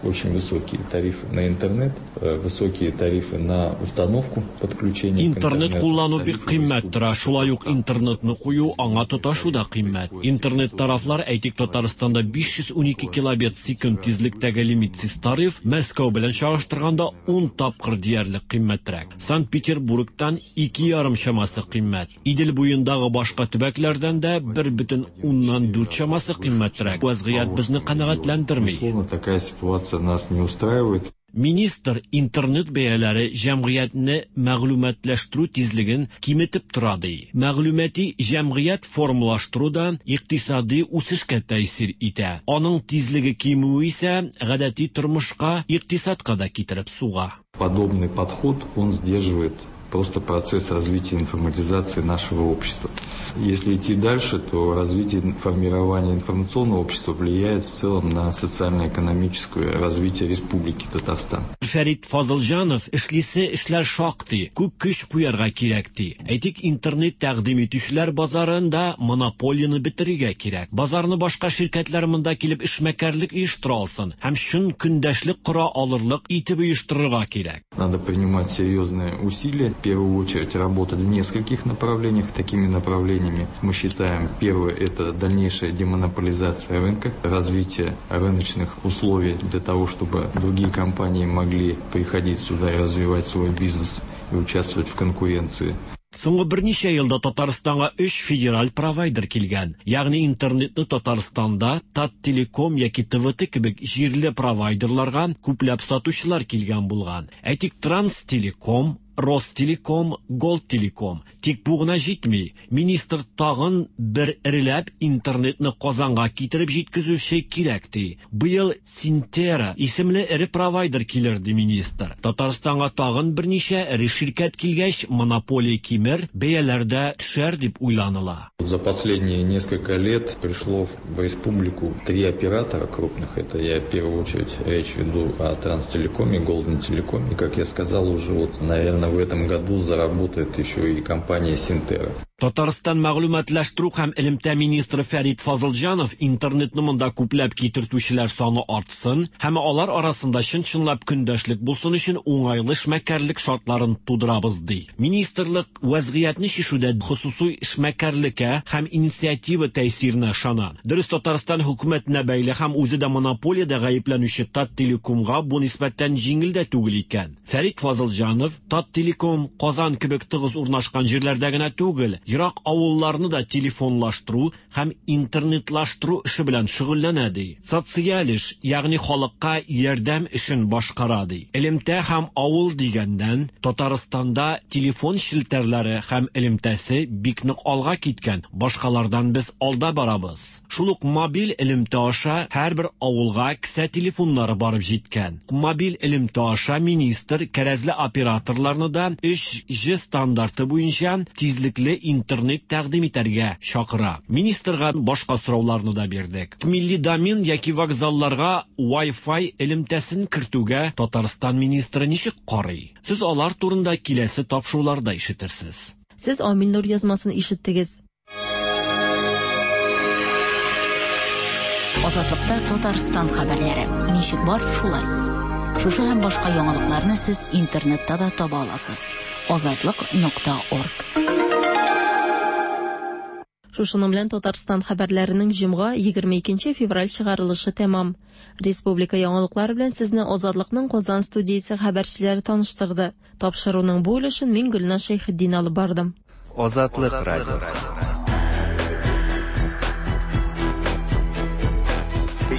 Очень высокие тарифы на интернет, высокие тарифы на установку подключения к Интернет интернету. куллану бик кыйммәт тора, шулай ук интернетны кую, аңа тоташу да кыйммәт. Интернет тарафлар, әйтик, Татарстанда 512 килобит секунд тизлектәге лимитсыз тариф Мәскәү белән чагыштырганда 10 тапкыр диярлек кыйммәтрәк. Санкт-Петербургтан 2,5 чамасы кыйммәт. Идел буендагы башка төбәкләрдән дә 1,4 чамасы кыйммәтрәк. Вазгыять безне канәгатьләндерми. Безусловно, такая ситуация нас не устраивает. Министр интернет бәяләре җәмгыятьне мәгълүматлаштыру тизлеген киметеп тора ди. Мәгълүмати җәмгыять формалаштыру да икътисади үсешкә тәэсир итә. Аның тизлеге кимүе исә гадәти тормышка, икътисадка да китереп суга. Подобный подход, он сдерживает просто процесс развития информатизации нашего общества. Если идти дальше, то развитие формирования информационного общества влияет в целом на социально-экономическое развитие Республики Татарстан. Фәрит Фазылҗанов эшлисе эшләр шактый, күп көч куярга кирәк ди. Әйтик, интернет тәкъдим итүчеләр базарында монополияне бетерергә кирәк. Базарны башка ширкәтләр монда килеп эшмәкәрлек оештыра алсын һәм чын көндәшлек кора алырлык итеп оештырырга кирәк. Надо принимать серьезные усилия, в первую очередь работать в нескольких направлениях. Такими направлениями мы считаем, первое, это дальнейшая демонополизация рынка, развитие рыночных условий для того, чтобы другие компании могли приходить сюда и развивать свой бизнес и участвовать в конкуренции. Соңгы берничә елда Татарстанга 3 федераль провайдер килгән. Ягъни интернетны Татарстанда Таттелеком яки ТВТ кебек җирле провайдерларга күпләп сатучылар килгән булган. Әйтик, Транстелеком, Ростелеком, Голдтелеком. Тик бу гына җитми. Министр тагын бер эреләп интернетны Казанга китереп җиткезүче кирәк ди. Быел Синтера исемле эре провайдер килер ди министр. Татарстанга тагын берничә эре ширкәт килгәч, монополия кимер, бәяләр дә төшәр дип уйланыла. За последние несколько лет пришло в республику 3 оператора крупных. Это я в первую очередь речь веду о Транстелекоме, Голден Телекоме. И, как я сказал, уже наверное, в этом году заработает еще и компания Синтера. Татарстан мәгълүматлаштыру һәм элемтә министры Фәрит Фазылҗанов интернетны монда күпләп китертүчеләр саны артсын һәм алар арасында чын-чынлап көндәшлек булсын өчен уңайлы эшмәкәрлек шартларын тудырабыз ди. Министрлык вазгыятьне чишүдә хосусый эшмәкәрлеккә һәм инициатива тәэсиренә ышана. Дөрес, Татарстан хөкүмәтенә бәйле һәм үзе дә монополиядә гаепләнүче Таттелекомга бу нисбәттән җиңел дә түгел икән. Фәрит Фазылҗанов Таттелеком Казан кебек тыгыз урнашкан җирләрдә генә түгел, ерак авылларны да телефонлаштыру һәм интернетлаштыру эше белән шөгыльләнә ди. Социаль эш, ягъни халыкка ярдәм эшен башкара ди. Элемтә һәм авыл дигәннән Татарстанда телефон челтәрләре һәм элемтәсе бик нык алга киткән. Башкалардан без алда барабыз. Шул ук мобиль элемтә аша һәрбер авылга кесә телефоннары барып җиткән. Мобиль элемтә аша министр кәрәзле операторларны да 3G стандарты буенча тизлекле интернет тәкъдим итәргә чакыра. Министрга башка сорауларны да бирдек. Милли домен яки вокзалларга Wi-Fi элемтәсен кертүгә Татарстан министры ничек карый? Сез алар турында киләсе тапшыруларда ишетерсез. Сез Амил Нур язмасын ишеттегез. Азатлыкта Татарстан хәбәрләре. Ничек бар, шулай. Шушы һәм башка яңалыкларны сез интернетта да таба аласыз. Азатлык.орг. Шушының белән Татарстан хәбәрләренең җомга 22 февраль чыгарылышы тәмам. Республика яңалыклары белән сезне Азатлыкның Казан студиясе хәбәрчеләре таныштырды. Тапшыруның бу өлешен мин Гөлназ Шәйхетдин алып бардым. Азатлык радиосы.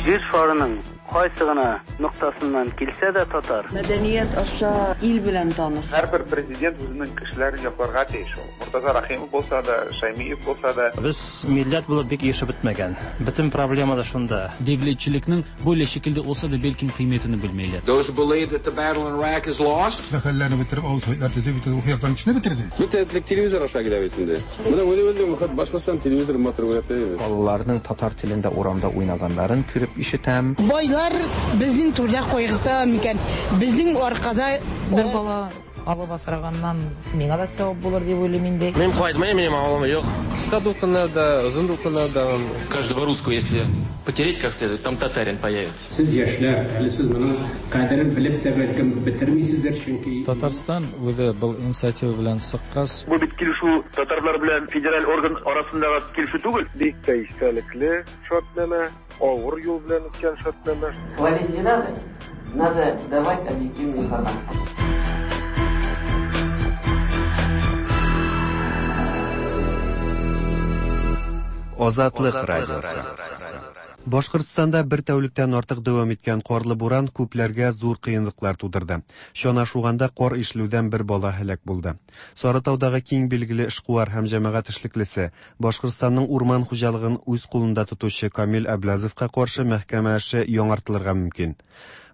Җир шарының кайсы гына ноктасыннан килсә дә татар. Мәдәният аша ил белән таныш. Һәрбер президент үзенең кешеләрен якларга тиеш ул. Мортаза Рахимов булса да, Шаймиев булса да. Без милләт булып бик ирешеп бетмәгән. Бөтен проблема да шунда. Devletçilikning böyle şekilde olsa da belki kıymetini bilmeyler. Those who believe that the battle in Iraq is lost. Мәхәлләне бетереп, авыл советлар төзеп, бөтен рухи яктан кешене бетерде. Бөтен телевизор аша килә бит инде. Менә үзе башласам телевизор матур күрә. Балаларның татар телендә урамда уйнаганнарын күреп ишетәм. Байлар безнең түрдә кайгырта микән? Безнең аркада бер бала Алып асраганнан миңа да сәвап булыр дип уйлыйм инде. Мин кайтмыйм, минем авылым юк. Кыска дулкыннарда, озын дулкыннарда. Каждого русского, если потереть как следует, там татарин появится. Сез яшьләр, әле сез моның кадерен белеп тә бәлкем бетермисездер, чөнки Татарстан үзе был инициатива белән чыккач, Бу бит килешү татарлар белән федераль орган арасындагы килешү түгел. Бик тә истәлекле шартнамә, авыр юл белән үткән шартнамә. Хвалить не надо, надо давать объективную информацию. Азатлык радиосы. Башкортстанда бер тәүлектән артык дәвам иткән карлы буран күпләргә зур кыенлыклар тудырды. Чана шуганда кар ишелүдән бер бала һәлак булды. Сарытаудагы киң билгеле эшкуар һәм җәмәгать эшлеклесе, Башкортстанның урман хуҗалыгын үз кулында тотучы Камил Әбләзовка каршы мәхкәмә эше яңартылырга мөмкин.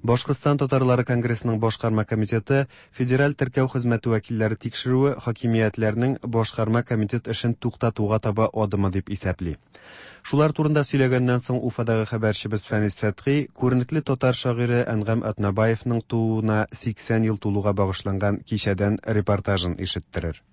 Башкортстан татарлары конгрессының башкарма комитеты федераль теркәү хезмәте вәкилләре тикшерүе хакимиятләрнең башкарма комитет эшен туктатуга таба адымы дип исәпли. Шулар турында сөйләгәннән соң Уфадагы хәбәрчебез Фәнис Фәтхи күренекле татар шагыйре Әнгам Атнабаевның тууына 80 ел тулуга багышланган кичәдән репортажын ишеттерер.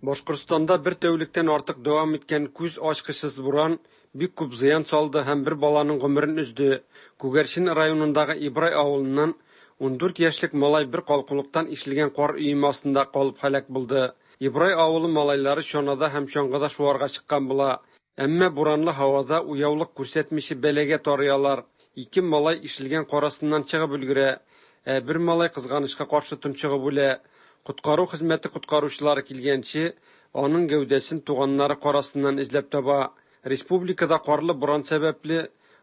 Башкортстанда бер тәүлектән артык дәвам иткән күз ачкычсыз буран бик күп зыян салды һәм бер баланың гомерен өзде. Күгәрчен районындагы Ибрай авылыннан 14 яшьлек малай бер калкулыктан ишелгән кар өеме астында калып һәлак булды. Ибрай авылы малайлары чанада һәм чаңгыда шуарга чыккан була. Әмма буранлы һавада уяулык күрсәтмичә бәлагә тарыялар. Ике малай ишелгән кар астыннан чыгып өлгерә, ә бер малай кызганычка каршы тончыгып үлә. Коткару хезмәте коткаручылары килгәнче, аның гәүдәсен туганнары кар астыннан эзләп таба. Республикада карлы буран сәбәпле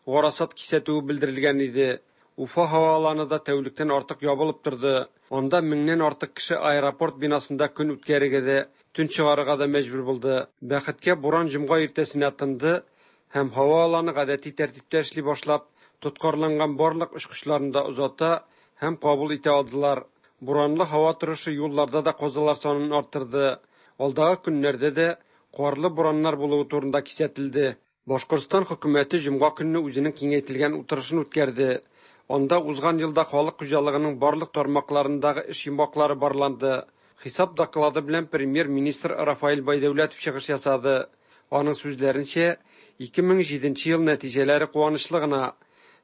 гарасат кисәтүе белдерелгән иде. Уфа һава аланы да тәүлектән артык ябылып торды. Анда меңнән артык кеше аэропорт бинасында көн үткәрергә дә, төн чыгарырга да мәҗбүр булды. Бәхеткә буран җомга иртәсенә тынды һәм һава аланы гадәти тәртиптә эшли башлап, тоткарланган барлык очкычларны да озата һәм кабул итә алдылар. Буранлы һава торышы юлларда да казалар санын арттырды. Алдагы көннәрдә дә карлы бураннар булуы турында кисәтелде. Башкортстан хөкүмәте җомга көнне үзенең киңәйтелгән утырышын үткәрде. Анда узган елда халык хуҗалыгының барлык тармакларындагы эш йомгаклары барланды. Хисап доклады белән премьер-министр Рафаэль Байдәүләтов чыгыш ясады. Аның сүзләренчә, 2007 ел нәтиҗәләре куанычлы гына.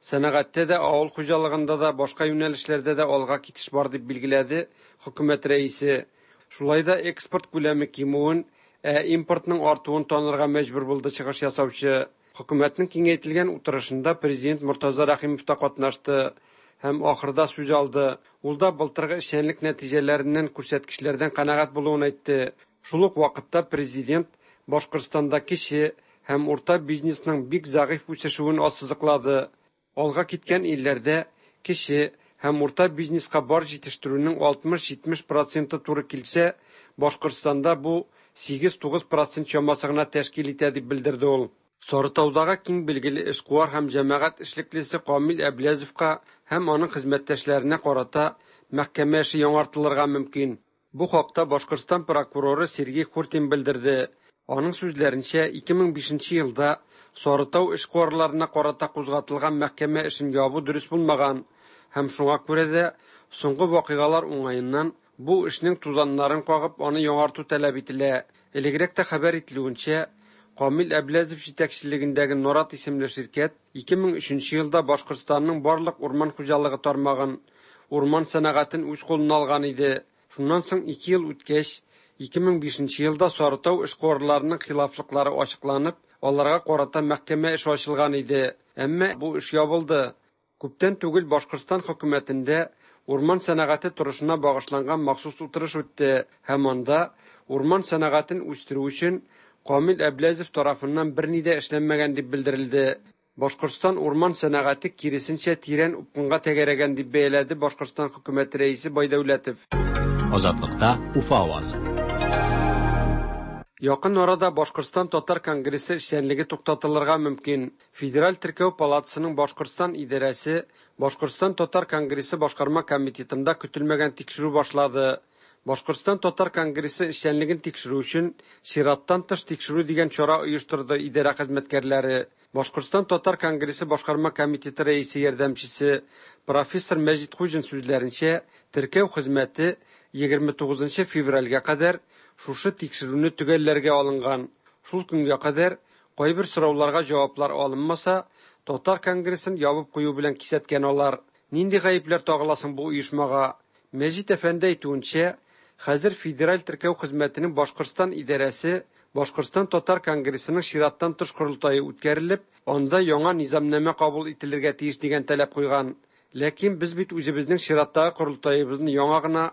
Сәнәгатьтә дә, авыл хуҗалыгында да, башка юнәлешләрдә дә алга китеш бар дип билгеләде хөкүмәт рәисе. Шулай да экспорт күләме кимүен, ә импортның артуын танырга мәҗбүр булды чыгыш ясаучы. Хөкүмәтнең киңәйтелгән утырышында президент Мортаза Рәхимов та катнашты һәм ахырда сүз алды. Ул да былтыргы эшчәнлек нәтиҗәләреннән күрсәткечләрдән канәгать булуын әйтте. Шул ук вакытта президент Башкортстанда кече һәм урта бизнесның бик зәгыйфь үсешүен ассызыклады. Алга киткән илләрдә кече һәм урта бизнеска бар җитештерүнең 60-70 проценты туры килсә, Башкортстанда бу 8-9 процент чамасы гына тәшкил итә дип белдерде ул. Сарытаудагы киң билгеле эшкуар һәм җәмәгать эшлеклесе Камил Әбләзовка һәм аның хезмәттәшләренә карата мәхкәмә эше яңартылырга мөмкин. Бу хакта Башкортстан прокуроры Сергей Хуртин белдерде. Аның сүзләренчә, 2005 елда Сарытау эшкуарларына карата кузгатылган мәхкәмә эшен ябу дөрес булмаган һәм шуңа күрә дә соңгы вакыйгалар уңаеннан бу эшнең тузаннарын кагып аны яңарту таләп ителә. Элегрәк тә хәбәр ителүенчә, Камил Әбләзов җитәкчелегендәге Норат исемле ширкәт 2003 елда Башкортстанның барлык урман хуҗалыгы тармагын, урман сәнәгатен үз кулына алган иде. Шуннан соң 2 ел үткәч, 2005 елда Сарытау эшкуарларының хилафлыклары ачыкланып, аларга карата мәхкәмә эше ачылган иде. Әмма бу эш ябылды. Күптән түгел Башкортстан хөкүмәтендә урман сәнәгате торышына багышланган махсус утырыш үтте һәм анда урман сәнәгатен үстерү өчен Камил Әбләзов тарафыннан берни дә эшләнмәгән дип белдерелде. Башкортстан урман сәнәгате киресенчә тирән упкынга тәгәрәгән дип бәяләде Башкортстан хөкүмәте рәисе Байдәүләтов. Азатлыкта Уфа авазы. Якын арада Башкортстан татар конгрессы эшчәнлеге туктатылырга мөмкин. Федераль теркәү палатасының Башкортстан идарәсе Башкортстан татар конгрессы башкарма комитетында көтелмәгән тикшерү башлады. Башкортстан татар конгрессы эшчәнлеген тикшерү өчен чираттан тыш тикшерү дигән чара оештырды идарә хезмәткәрләре. Башкортстан татар конгрессы башкарма комитеты рәисе ярдәмчесе профессор Мәҗит Хуҗин сүзләренчә, теркәү хезмәте 29 февральгә кадәр шушы тикшерүне төгәлләргә алынган. Шул көнгә кадәр кайбер сорауларга җаваплар алынмаса, Татар конгрессын ябып кую белән кисәткән алар. Нинди гаепләр тагыла соң бу оешмага? Мәҗит әфәнде әйтүенчә, хәзер Федераль теркәү хезмәтенең Башкортстан идарәсе Башкортстан татар конгрессының чираттан тыш корылтае үткәрелеп, анда яңа низамнамә кабул ителергә тиеш дигән таләп куйган. Ләкин без бит үзебезнең чираттагы корылтаебызны яңа гына,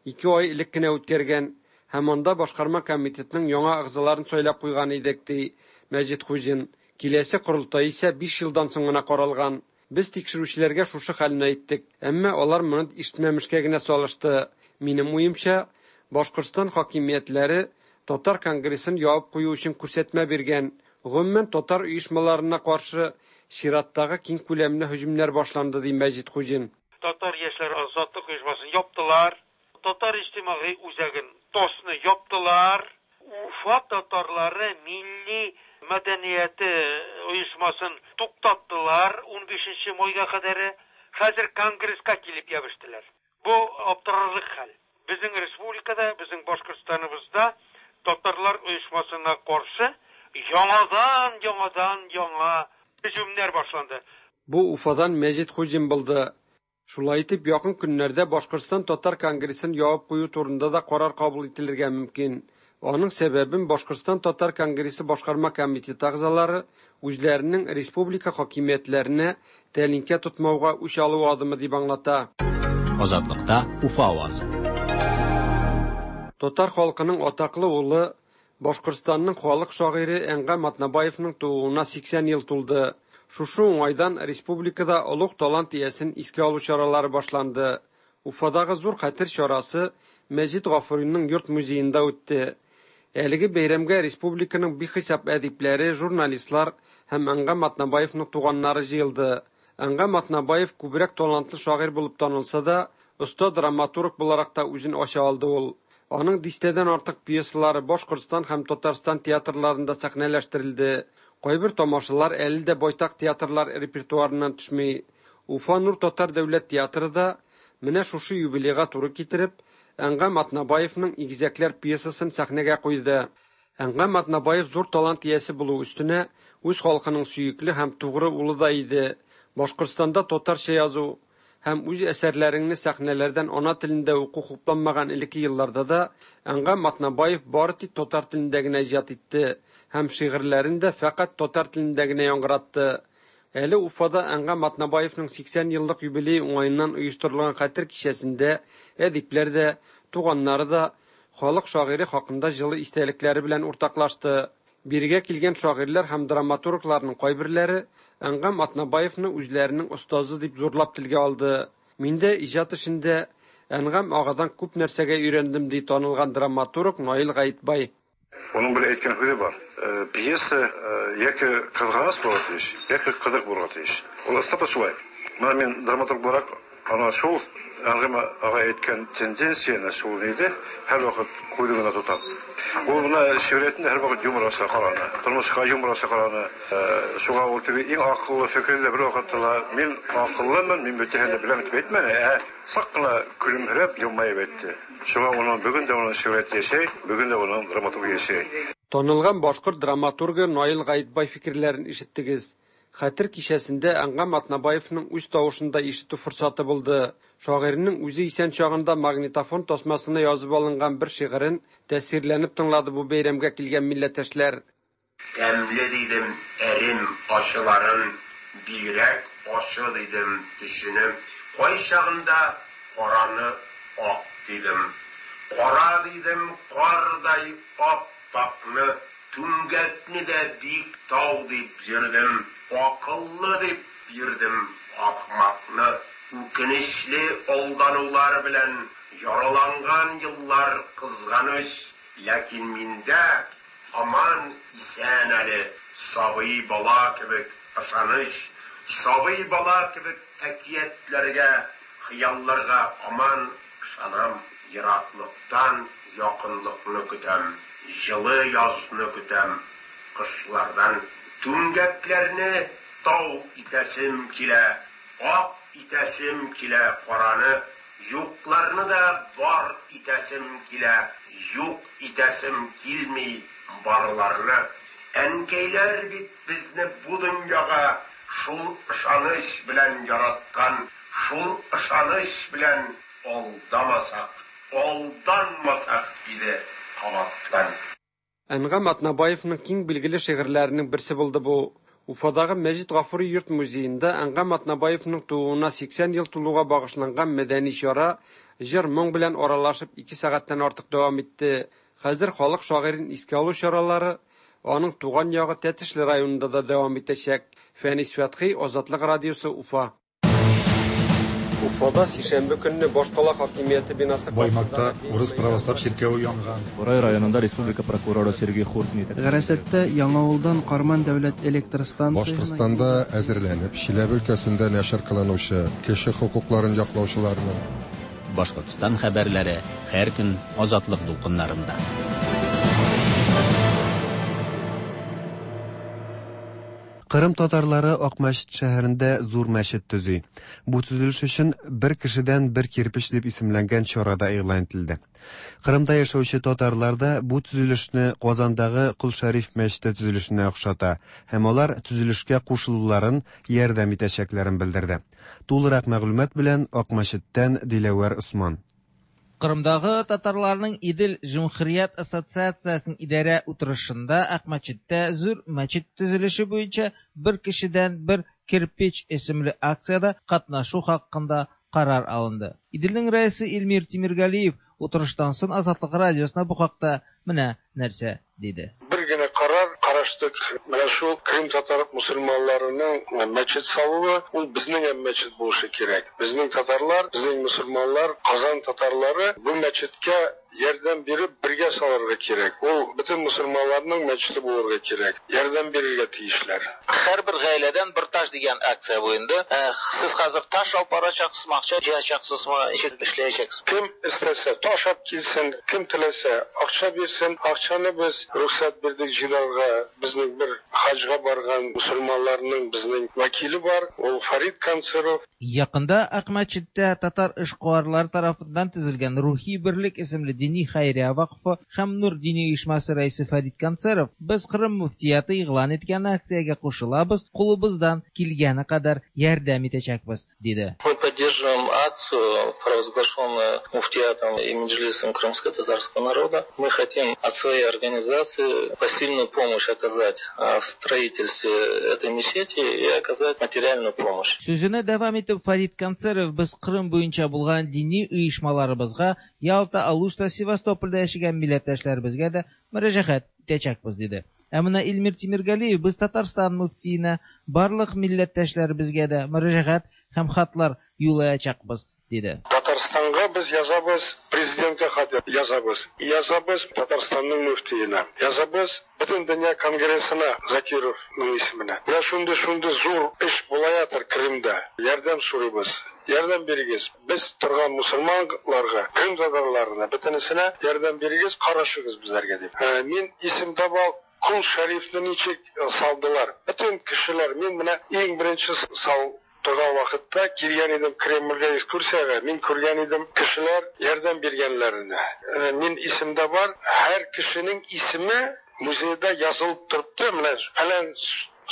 2 ай элек кенә үткәргән һәм анда башкарма комитетның яңа әгъзаларын сайлап куйган идек, ди Мәҗит Хуҗин. Киләсе корылтай исә 5 елдан соң гына каралган. Без тикшерүчеләргә шушы хәлне әйттек, әмма алар моны ишетмәмешкә генә салышты. Минем уемча, Башкортстан хакимиятләре татар конгрессын ябып кую өчен күрсәтмә биргән. Гомумән, татар оешмаларына каршы чираттагы киң күләмле һөҗүмнәр башланды, ди Мәҗит Хуҗин. Татар яшьләр азатлык оешмасын яптылар. Татар иҗтимагый үзәген ТОСны яптылар. Уфа татарлары милли мәдәнияте оешмасын туктаттылар 15 майга кадәр. Хәзер конгресска килеп ябыштылар. Бу аптырарлык хәл. Безнең республикада, безнең Башкортстаныбызда татарлар оешмасына каршы яңадан, яңадан яңа һөҗүмнәр башланды. Бу Уфадан Мәҗит Хуҗин булды. Шулай итеп, якын көннәрдә Башкортстан татар конгрессын ябып кую турында да карар кабул ителергә мөмкин. Аның сәбәбен Башкортстан татар конгрессы башкарма комитеты әгъзалары үзләренең республика хакимиятләренә тәлинкә тотмауга үч алу адымы дип аңлата. Азатлыкта Уфа авазы. Татар халкының атаклы улы, Башкортстанның халык шагыйре Әнгам Атнабаевның тууына 80 ел тулды. Шушы уңайдан республикада олуг талант иясен искә алу чаралары башланды. Уфадагы зур хәтер чарасы Мәҗит Гафуриның йорт музеенда үтте. Әлеге бәйрәмгә республиканың бихисап әдипләре, журналистлар һәм Әнгам Атнабаевның туганнары җыелды. Әнгам Атнабаев күбрәк талантлы шагыйрь булып танылса да, оста драматург буларак та үзен ача алды ул. Аның дистәдән артык пьесалары Башкортстан һәм Татарстан театрларында сәхнәләштерелде. Кайбер тамашалар әле дә байтак театрлар репертуарыннан төшми. Уфа Нур татар дәүләт театры да менә шушы юбилейга туры китереп, Әнгам Атнабаевның Игезәкләр пьесасын сәхнәгә куйды. Әнгам Атнабаев зур талант иясе булу өстенә, үз халкының сөекле һәм тугры улы да иде. Башкортстанда татарча язу һәм үз әсәрләреңне сәхнәләрдән ана телендә уку хупланмаган элекке елларда да Әнгам Атнабаев бары тик татар телендә генә иҗат итте һәм шигырьләрен дә фәкать татар телендә генә яңгыратты. Әле Уфада Әнгам Атнабаевның 80 еллык юбилей уңаеннан оештырылган хәтер кичәсендә әдипләр дә, туганнары да халык шагыйре хакында җылы истәлекләре белән уртаклашты. Бирегә килгән шагыйрьләр һәм драматургларның кайберләре Әнгам Атнабаевны үзләренең остазы дип зурлап телгә алды. Мин дә иҗат эшендә Әнгам агадан күп нәрсәгә өйрәндем, ди танылган драматург Наил Гаитбай. Уның бер әйткән һүзе бар. Пьеса яки кызганыч булырга тиеш, яки кызык булырга тиеш. Ул ысынлап та шулай. Менә мин драматург буларак ана шул Әнгам ага әйткән тенденцияне шул иде, һәрвакыт күз уңында тотам. Ул менә шигъриятендә һәрвакыт юмор аша караны, тормышка юмор аша караны. Шуңа ул теге иң акыллы фикере дә бервакытта да мин акыллымын, мин бөтенен дә беләм дип әйтмәде, ә сак кына көлемһерәп, елмаеп әйтте. Шуңа уның бүген дә уның шигърияте яшәй, бүген дә уның драматургия яшәй. Танылган башкорт драматургы Наил Гаитбай фикерләрен ишеттегез. Хәтер кичәсендә Әнгам Атнабаевның үз тавышын да ишетү форсаты булды. Шагыйрьнең үзе исән чагында магнитофон тасмасына язып алынган бер шигырен тәэсирләнеп тыңлады бу бәйрәмгә килгән милләттәшләр. Тәмле дидем әрем ачыларын, бигрәк ачы дидем төчене. Кайчагында караны ак дидем. Кара дидем кардай ап-акны, түмгәкне дә биек тау дип йөрдем. Акыллы дип йөрдем ахмакны. Үкенечле алданулар белән яраланган еллар кызганыч, ләкин миндә һаман исән әле сабый бала кебек ышаныч, сабый бала кебек әкиятләргә, хыялларга һаман ышанам, ераклыктан якынлыкны көтәм, җылы язны көтәм, кышлардан. Түмгәкләрне тау итәсем килә, ак итәсем килә караны. Юкларны да бар итәсем килә, юк итәсем килми барларны. Әнкәйләр бит безне бу дөньяга шул ышаныч белән яраткан, шул ышаныч белән алдамасак, алданмасак иде кабаттан. Әнгам Атнабаевның киң билгеле шигырьләренең берсе булды бу. Уфадагы Мәҗит Гафури йорт-музеенда Әнгам Атнабаевның тууына 80 ел тулуга багышланган мәдәни чара җыр-моң белән аралашып ике сәгатьтән артык дәвам итте. Хәзер халык шагыйрен искә алу чаралары аның туган ягы Тәтешле районында да дәвам итәчәк. Фәнис Фәтхи, Азатлык радиосы, Уфа. Уфада сишәмбе көнне башкала хакимияте бинасы Баймакта урыс православ чиркәве янган. Борай районында республика прокуроры Сергей Хуртин Гарасаттә Яңавылдан Карман дәүләт электр станциясенә Башкортстанда әзерләнеп, Чиләбе өлкәсендә нәшер кылынучы кеше хокукларын яклаучыларның Башкортстан хәбәрләре һәр көн Азатлык дулкыннарында. Кырым татарлары Акмәчет шәһәрендә зур мәчет төзи. Бу төзелеш өчен бер кешедән бер кирпеч дип исемләнгән чара да игълан ителде. Кырымда яшәүче татарлар да бу төзелешне Казандагы Кол Шәриф мәчете төзелешенә охшата һәм алар төзелешкә кушылуларын, ярдәм итәчәкләрен белдерде. Тулырак мәгълүмат белән Акмәчеттән Диләвәр Осман. Кырымдагы татарларның Идел җөмһүрият ассоциациясенең идарә утырышында Акмәчеттә зур мәчет төзелеше буенча бер кешедән бер кирпич исемле акциядә катнашу хакында карар алынды. Иделнең рәисе Илмир Тимергалиев утырыштан соң Азатлык радиосына бу хакта менә нәрсә диде. Бер генә карар караштык. Менә шул Крым татар мусульманнарының мәчет салуы, ул безнең һәм мәчет булышы кирәк. Безнең татарлар, безнең мусульманнар, Казан татарлары бу мәчеткә ярдәм биреп бергә салырга кирәк. Ул бөтен мусульманнарның мәчете булырга кирәк. Ярдәм бирергә тиешләр. Һәрбер гаиләдән бер таш дигән акция бу инде. Сез хәзер таш алып барачаксызмы, акча җыячаксызмы, ничек эшләячәксез? Кем истәсә таш алып килсен, кем теләсә акча бирсен. Акчаны без рөхсәт бирдек җыйнарга. Безнең бер хаҗга барган мусульманнарның безнең вәкиле бар, ул Фарид Канцеров. Якында Акмәчеттә татар эшкуарлары тарафыннан төзелгән Рухи берлек исемле дини хәйрия вакыфы һәм Нур дини оешмасы рәисе Фәрит Канцеров, Без Кырым мөфтияте игълан иткән акциягә кушылабыз, кулыбыздан килгәне кадәр ярдәм итәчәкбез, диде. Мы поддерживаем акцию, провозглашенную муфтиятом и Меджлисом крымско-татарского народа. Мы хотим от своей организации посильную помощь оказать в строительстве этой мечети и оказать материальную помощь. Сүзене дәвам итеп Фәрит Канцеров, Без Кырым буенча булган дини оешмаларыбызга, Ялта, Алушта, Севастопольдә яшәгән милләттәшләребезгә дә мөрәҗәгать итәчәкбез, диде. Ә менә Илмир Тимергалиев, Без Татарстан мөфтиенә, барлык милләттәшләребезгә дә мөрәҗәгать һәм хатлар юллаячакбыз, диде. Татарстанга без язабыз, президентка хат язабыз. Язабыз Татарстанның мөфтиенә. Язабыз Бөтендөнья конгрессына Закировның исеменә. Менә шундый-шундый зур эш булаятыр Крымда. Ярдәм сорыйбыз. Ярдәм бирегез. Без торган мусульманларга, Крым татарларына, бөтенесенә ярдәм бирегез, карашыгыз безләргә дип. Мин исемдә бар, Кол Шәрифне ничек салдылар. Бөтен кешеләр, мин менә иң беренче сал торган вакытта килгән идем Кремльгә экскурсиягә, мин күргән идем кешеләр ярдәм биргәннәренә. Мин исемдә бар, һәр кешенең исеме музейда язылып торыпты, менә фәлән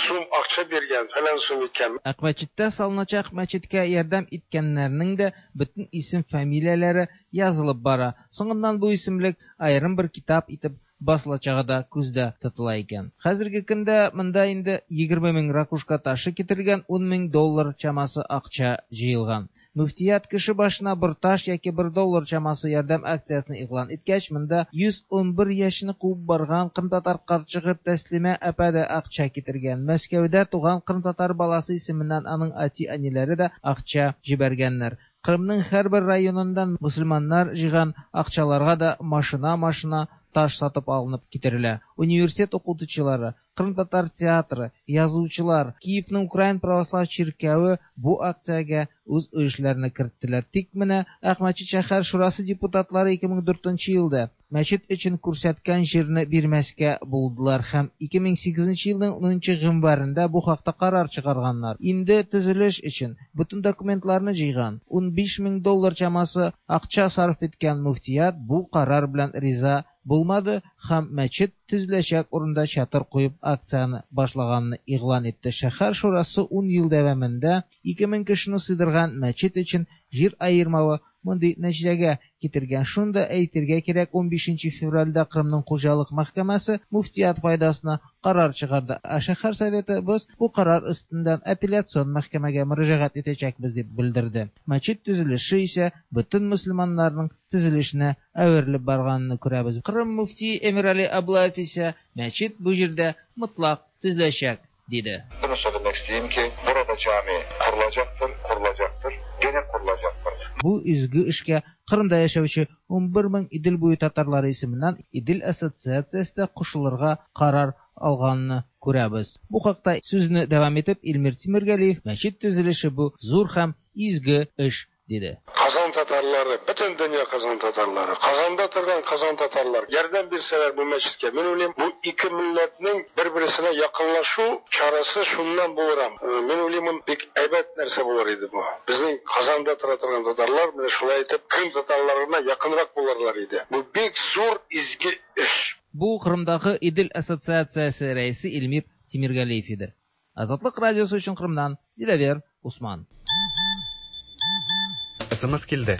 сум акча биргән, фәлән сум иткән. Акмәчеттә салыначак мәчеткә ярдәм иткәннәрнең дә бөтен исем-фамилияләре язылып бара. Соңыннан бу исемлек аерым бер китап итеп басылачагы да күздә тотыла икән. Хәзерге көндә монда инде 20 мең ракушка ташы китерелгән, 10 мең доллар чамасы акча җыелган. Мөфтият кеше башына бер таш яки бер доллар чамасы ярдәм акциясен игълан иткәч, монда 111 яшен куып барган кырымтатар карчыгы Тәслимә апа да акча китергән. Мәскәүдә туган кырымтатар баласы исеменнән аның әти-әниләре дә акча җибәргәннәр. Кырымның һәрбер районыннан мөселманнар җыйган акчаларга да машина-машина таш сатып алынып китерелә. Университет укытучылары, Кырымтатар театры, язучылар, Киевның Украин православ чиркәве бу акциягә үз өлешләрен керттеләр. Тик менә Акмәчет шәһәр шурасы депутатлары 2004 елда мәчет өчен күрсәткән җирне бирмәскә булдылар һәм 2008 елның 10 гыйнварында бу хакта карар чыгарганнар. Инде төзелеш өчен бөтен документларны җыйган, 15 мең доллар чамасы акча сарыф иткән мөфтият бу карар белән риза булмады һәм мәчет төзеләчәк урында чатыр куеп акцияне башлаганны игълан итте. Шәһәр шурасы 10 ел дәвамында 2000 кешене сыйдырган мәчет өчен җир аермавы мондый нәтиҗәгә китергән. Шуны да әйтергә кирәк, 15 февральдә Кырымның хуҗалык мәхкәмәсе мөфтият файдасына карар чыгарды. Ә шәһәр советы без бу карар өстеннән апелляцион мәхкәмәгә мөрәҗәгать итәчәкбез дип белдерде. Мәчет төзелеше исә бөтен мөселманнарның төзелешенә әверелеп барганын күрәбез. Кырым мөфтие Эмирали Аблаев исә мәчет бу җирдә мотлак төзеләчәк диде. Bunu söylemek isteyeyim ki burada cami kurulacaktır, kurulacaktır, gene kurulacaktır. Бу изге эшкә Кырымда яшәүче 11 мең Идел буе татарлары исеменнән Идел ассоциациясе дә кушылырга карар алганны күрәбез. Бу хакта сүзне дәвам итеп Илмир Тимиргалиев мәчет төзелеше бу зур һәм изге эш диде. Казан татарлары, бөтен дөнья Казан татарлары, Казанда торган Казан татарлар ярдәм бирсәләр бу мәчеткә, мин уйлыйм, бу ике милләтнең бер-берсенә якынлашу чарасы шуннан булыр. Мин уйлыйм, бик әйбәт нәрсә булыр иде бу. Безнең Казанда тора торган татарлар менә шулай итеп Крым татарларына якынрак булырлар иде. Бу бик зур изге эш. Бу Кырымдагы Идел ассоциациясе рәисе Илмир Тимиргалиев иде. Азатлык радиосы өчен Кырымнан Диләвер Усман. СМС килде.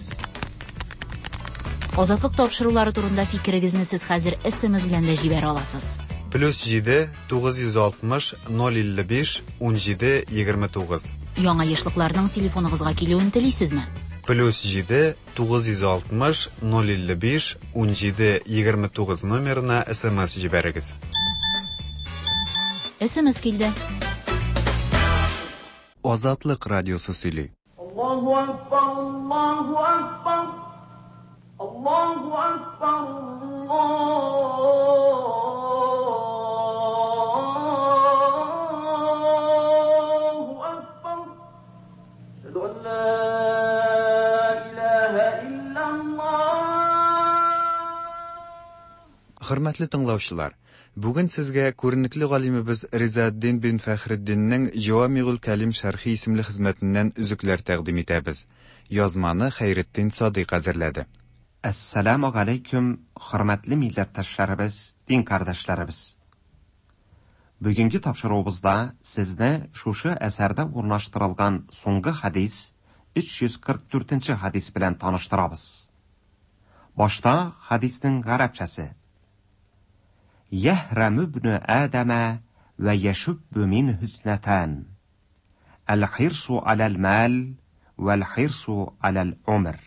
Азатлык тапшырулары турында фикерегезне сез хәзер СМС белән дә җибәрә аласыз. Плюс 7 960 055 17 29. Яңа ешлыкларның телефоныгызга килүен телисезме? Плюс 7 960 055 17 29 номерына СМС җибәрегез. СМС килде. Азатлык радиосы сөйли. Аллаһу акбар, Аллаһу акбар. Аллаһу акбар, Аллаһу акбар. Әшһәду ан ла илаһа иллаллаһ. Хөрмәтле тыңлаучылар, бүген сезгә күренекле галимебез Ризаэддин бин Фәхретдиннең Җавамигул Кәлим шәрхи исемле хезмәтеннән өзекләр тәкъдим итәбез. Язманы Хәйретдин Садыйк әзерләде. Әссәламү галәйкүм, хөрмәтле милләттәшләребез, дин кардәшләребез! Бүгенге тапшыруыбызда сезне шушы әсәрдә урнаштырылган соңгы хәдис, 344 нче хәдис белән таныштырабыз. Башта хәдиснең гарәпчәсе. Яһрәмү ибне Адәмә вә яшүббү минһү иснәтән. Әл-хирсу аләл-мәл вәл-хирсу аләл-умр.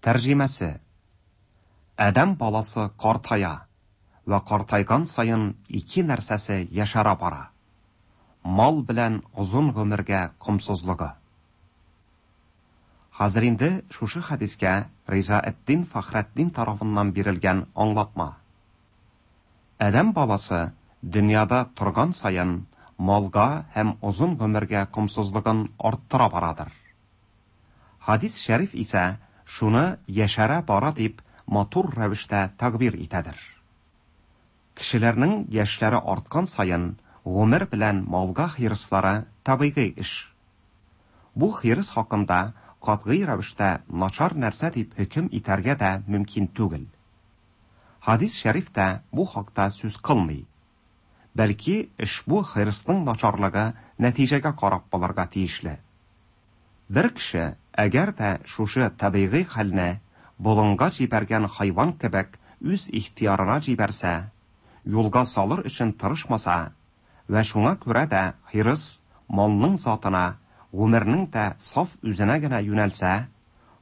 Тәрҗемәсе. Адәм баласы картая вә картайган саен ике нәрсәсе яшәрә бара. Мал белән озын гомергә комсызлыгы. Хәзер инде шушы хәдискә Ризаэддин Фәхретдин тарафыннан бирелгән аңлатма. Адәм баласы дөньяда торган саен малга һәм озын гомергә комсызлыгын арттыра барадыр. Хәдис шәриф исә шуны яшәрә бара дип матур рәвештә тәгъбир итәдер. Кешеләрнең яшьләре арткан саен гомер белән малга хирыслары табигый эш. Бу хирыс хакында катгый рәвештә начар нәрсә дип хөкем итәргә дә мөмкин түгел. Хәдис шәриф тә бу хакта сүз кылмый. Бәлки ошбу хирысның начарлыгы нәтиҗәгә карап булырга тиешле. Бер кеше әгәр дә шушы табигый хәлне болынга җибәргән хайван кебек үз ихтыярына җибәрсә, юлга салыр өчен тырышмаса вә шуңа күрә дә хирыс малның затына, гомернең дә саф үзенә генә юнәлсә,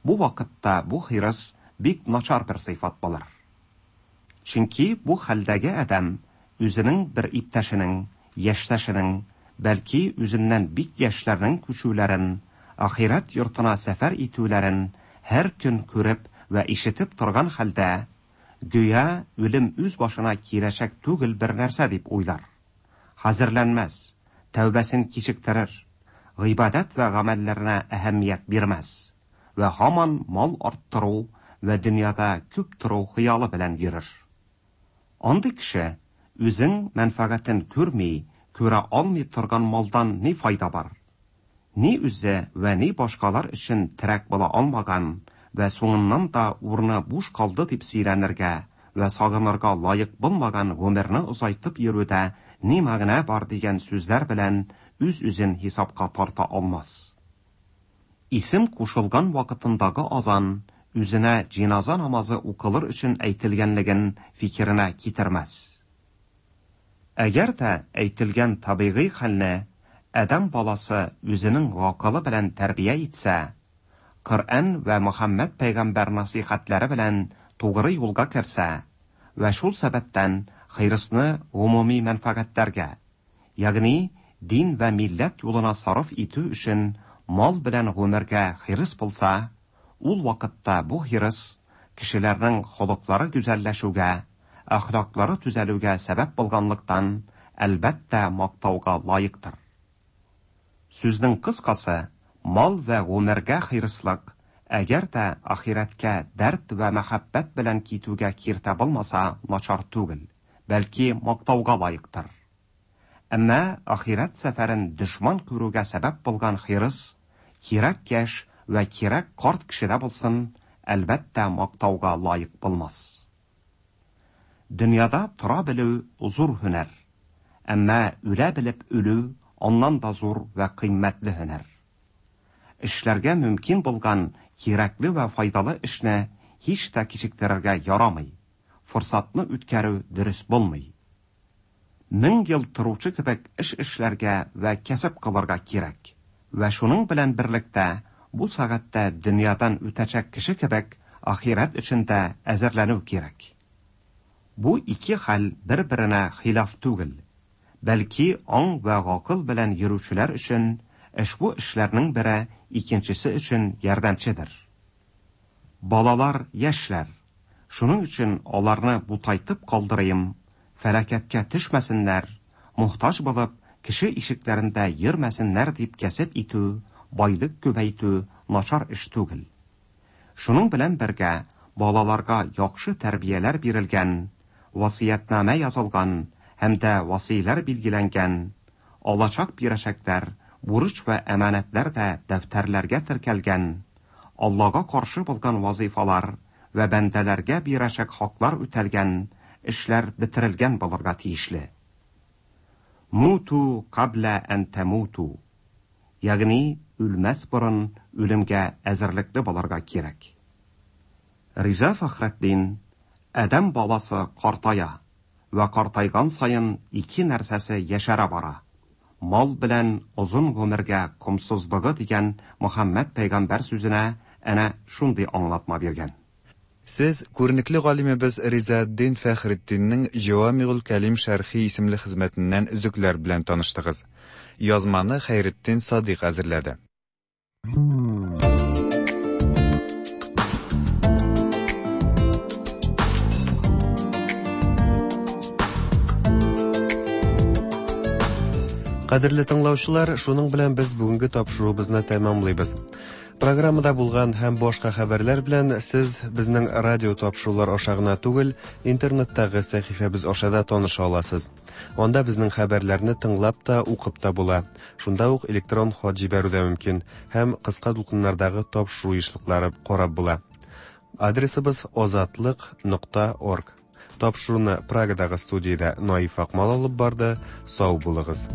бу вакытта бу хирыс бик начар бер сыйфат булыр. Чөнки бу хәлдәге адәм үзенең бер иптәшенең, яшьтәшенең, бәлки үзеннән бик яшьләрнең күчүләрен, ахирәт йортына сәфәр итүләрен һәр көн күреп вә ишетеп торган хәлдә, Гүя үлем үз башына киләчәк түгел бер нәрсә дип уйлар. Хәзерләнмәс, тәүбәсен кичектерер, гыйбадәт вә гамәлләренә әһәмият бирмәс вә һаман мал арттыру вә дөньяда күп тору хыялы белән йөрер. Андый кеше үзең мәнфәгатен күрми, күрә алмый торган малдан ни файда бар? Ни үзе вә ни башкалар өчен терәк була алмаган вә соңыннан да урыны буш калды дип сөйләнергә вә сагынырга лаек булмаган гомерне озайтып йөрүдә ни мәгънә бар дигән сүзләр белән үз-үзен хисапка тарта алмас. Исем кушылган вакытындагы азан үзенә җиназа намазы укылыр өчен әйтелгәнлеген фикеренә китермәс. Әгәр дә әйтелгән табигый хәлне адәм баласы үзенең гакылы белән тәрбия итсә, Коръән вә Мөхәммәд пәйгамбәр насыйхәтләре белән тугры юлга керсә вә шул сәбәптән хирысны гомуми мәнфәгатьләргә, ягъни дин вә милләт юлына сарыф итү өчен мал белән гомергә хирыс булса, ул вакытта бу хирыс кешеләрнең холыклары гүзәлләшүгә, әхлаклары төзәлүгә сәбәп булганлыктан, әлбәттә, мактауга лаектыр. Сүзнең кыскасы, мал вә гомергә хирыслык, әгәр дә ахирәткә дәрт вә мәхәббәт белән китүгә киртә булмаса, начар түгел, бәлки мактауга лаектыр. Әмма ахирәт сәфәрен дошман күрүгә сәбәп булган хирыс, кирәк яшь вә кирәк карт кешедә булсын, әлбәттә, мактауга лаек булмас. Дөньяда тора белү зур һөнәр. Әмма үлә белеп үлү аннан да зур вә кыйммәтле һөнәр. Эшләргә мөмкин булган кирәкле вә файдалы эшне һич тә кичектерергә ярамый. Форсатны үткәрү дөрес булмый. Мең ел торучы кебек эш эшләргә вә кәсеп кылырга кирәк. Вә шуның белән берлектә бу сәгатьтә дөньядан үтәчәк кеше кебек ахирәт өчен дә әзерләнү кирәк. Бу ике хәл бер-беренә хилаф түгел, бәлки аң вә гакыл белән йөрүчеләр өчен ошбу эшләрнең бере икенчесе өчен ярдәмчедер. Балалар яшьләр, шуның өчен аларны бутайтып калдырыйм, фәлакәткә төшмәсеннәр, мохтаҗ булып, кеше ишекләрендә йөрмәсеннәр дип кәсеп итү, байлык күбәйтү начар эш түгел. Шуның белән бергә балаларга яхшы тәрбияләр бирелгән, васыятьнамә язылган һәм дә васыйлар билгеләнгән, алачак бирәчәкләр, бурыч вә әманәтләр дә дәфтәрләргә теркәлгән, Аллага каршы булган вазыйфалар вә бәндәләргә бирәчәк хаклар үтәлгән, эшләр бетерелгән булырга тиешле. Муту каблә ән тәмуту. Ягъни үлмәс борын үлемгә әзерлекле булырга кирәк. Риза Фәхретдин, Адәм баласы картая вә картайган саен ике нәрсәсе яшәрә бара. Мал белән озын гомергә комсызлыгы дигән Мөхәммәд пәйгамбәр сүзенә әнә шундый аңлатма биргән. Сез күренекле галимебез Ризаэтдин Фәхретдиннең Җәвамигуль кәлим шәрхи исемле хезмәтеннән өзекләр белән таныштыгыз. Язманы Хәйретдин Садыйк әзерләде. Кадерле тыңлаучылар, шуның белән без бүгенге тапшыруыбызны тәмамлыйбыз. Программада булган һәм башка хәбәрләр белән сез безнең радио тапшырулар аша гына түгел, интернеттагы сәхифәбез аша да таныша аласыз. Анда безнең хәбәрләрне тыңлап та, укып та була. Шунда ук электрон хат җибәрү дә мөмкин һәм кыска дулкыннардагы тапшыру ешлыклары карап була. Адресыбыз озатлык.орг. Тапшыруны Прагадагы студиядә Наиф Акмал алып барды. Сау булыгыз.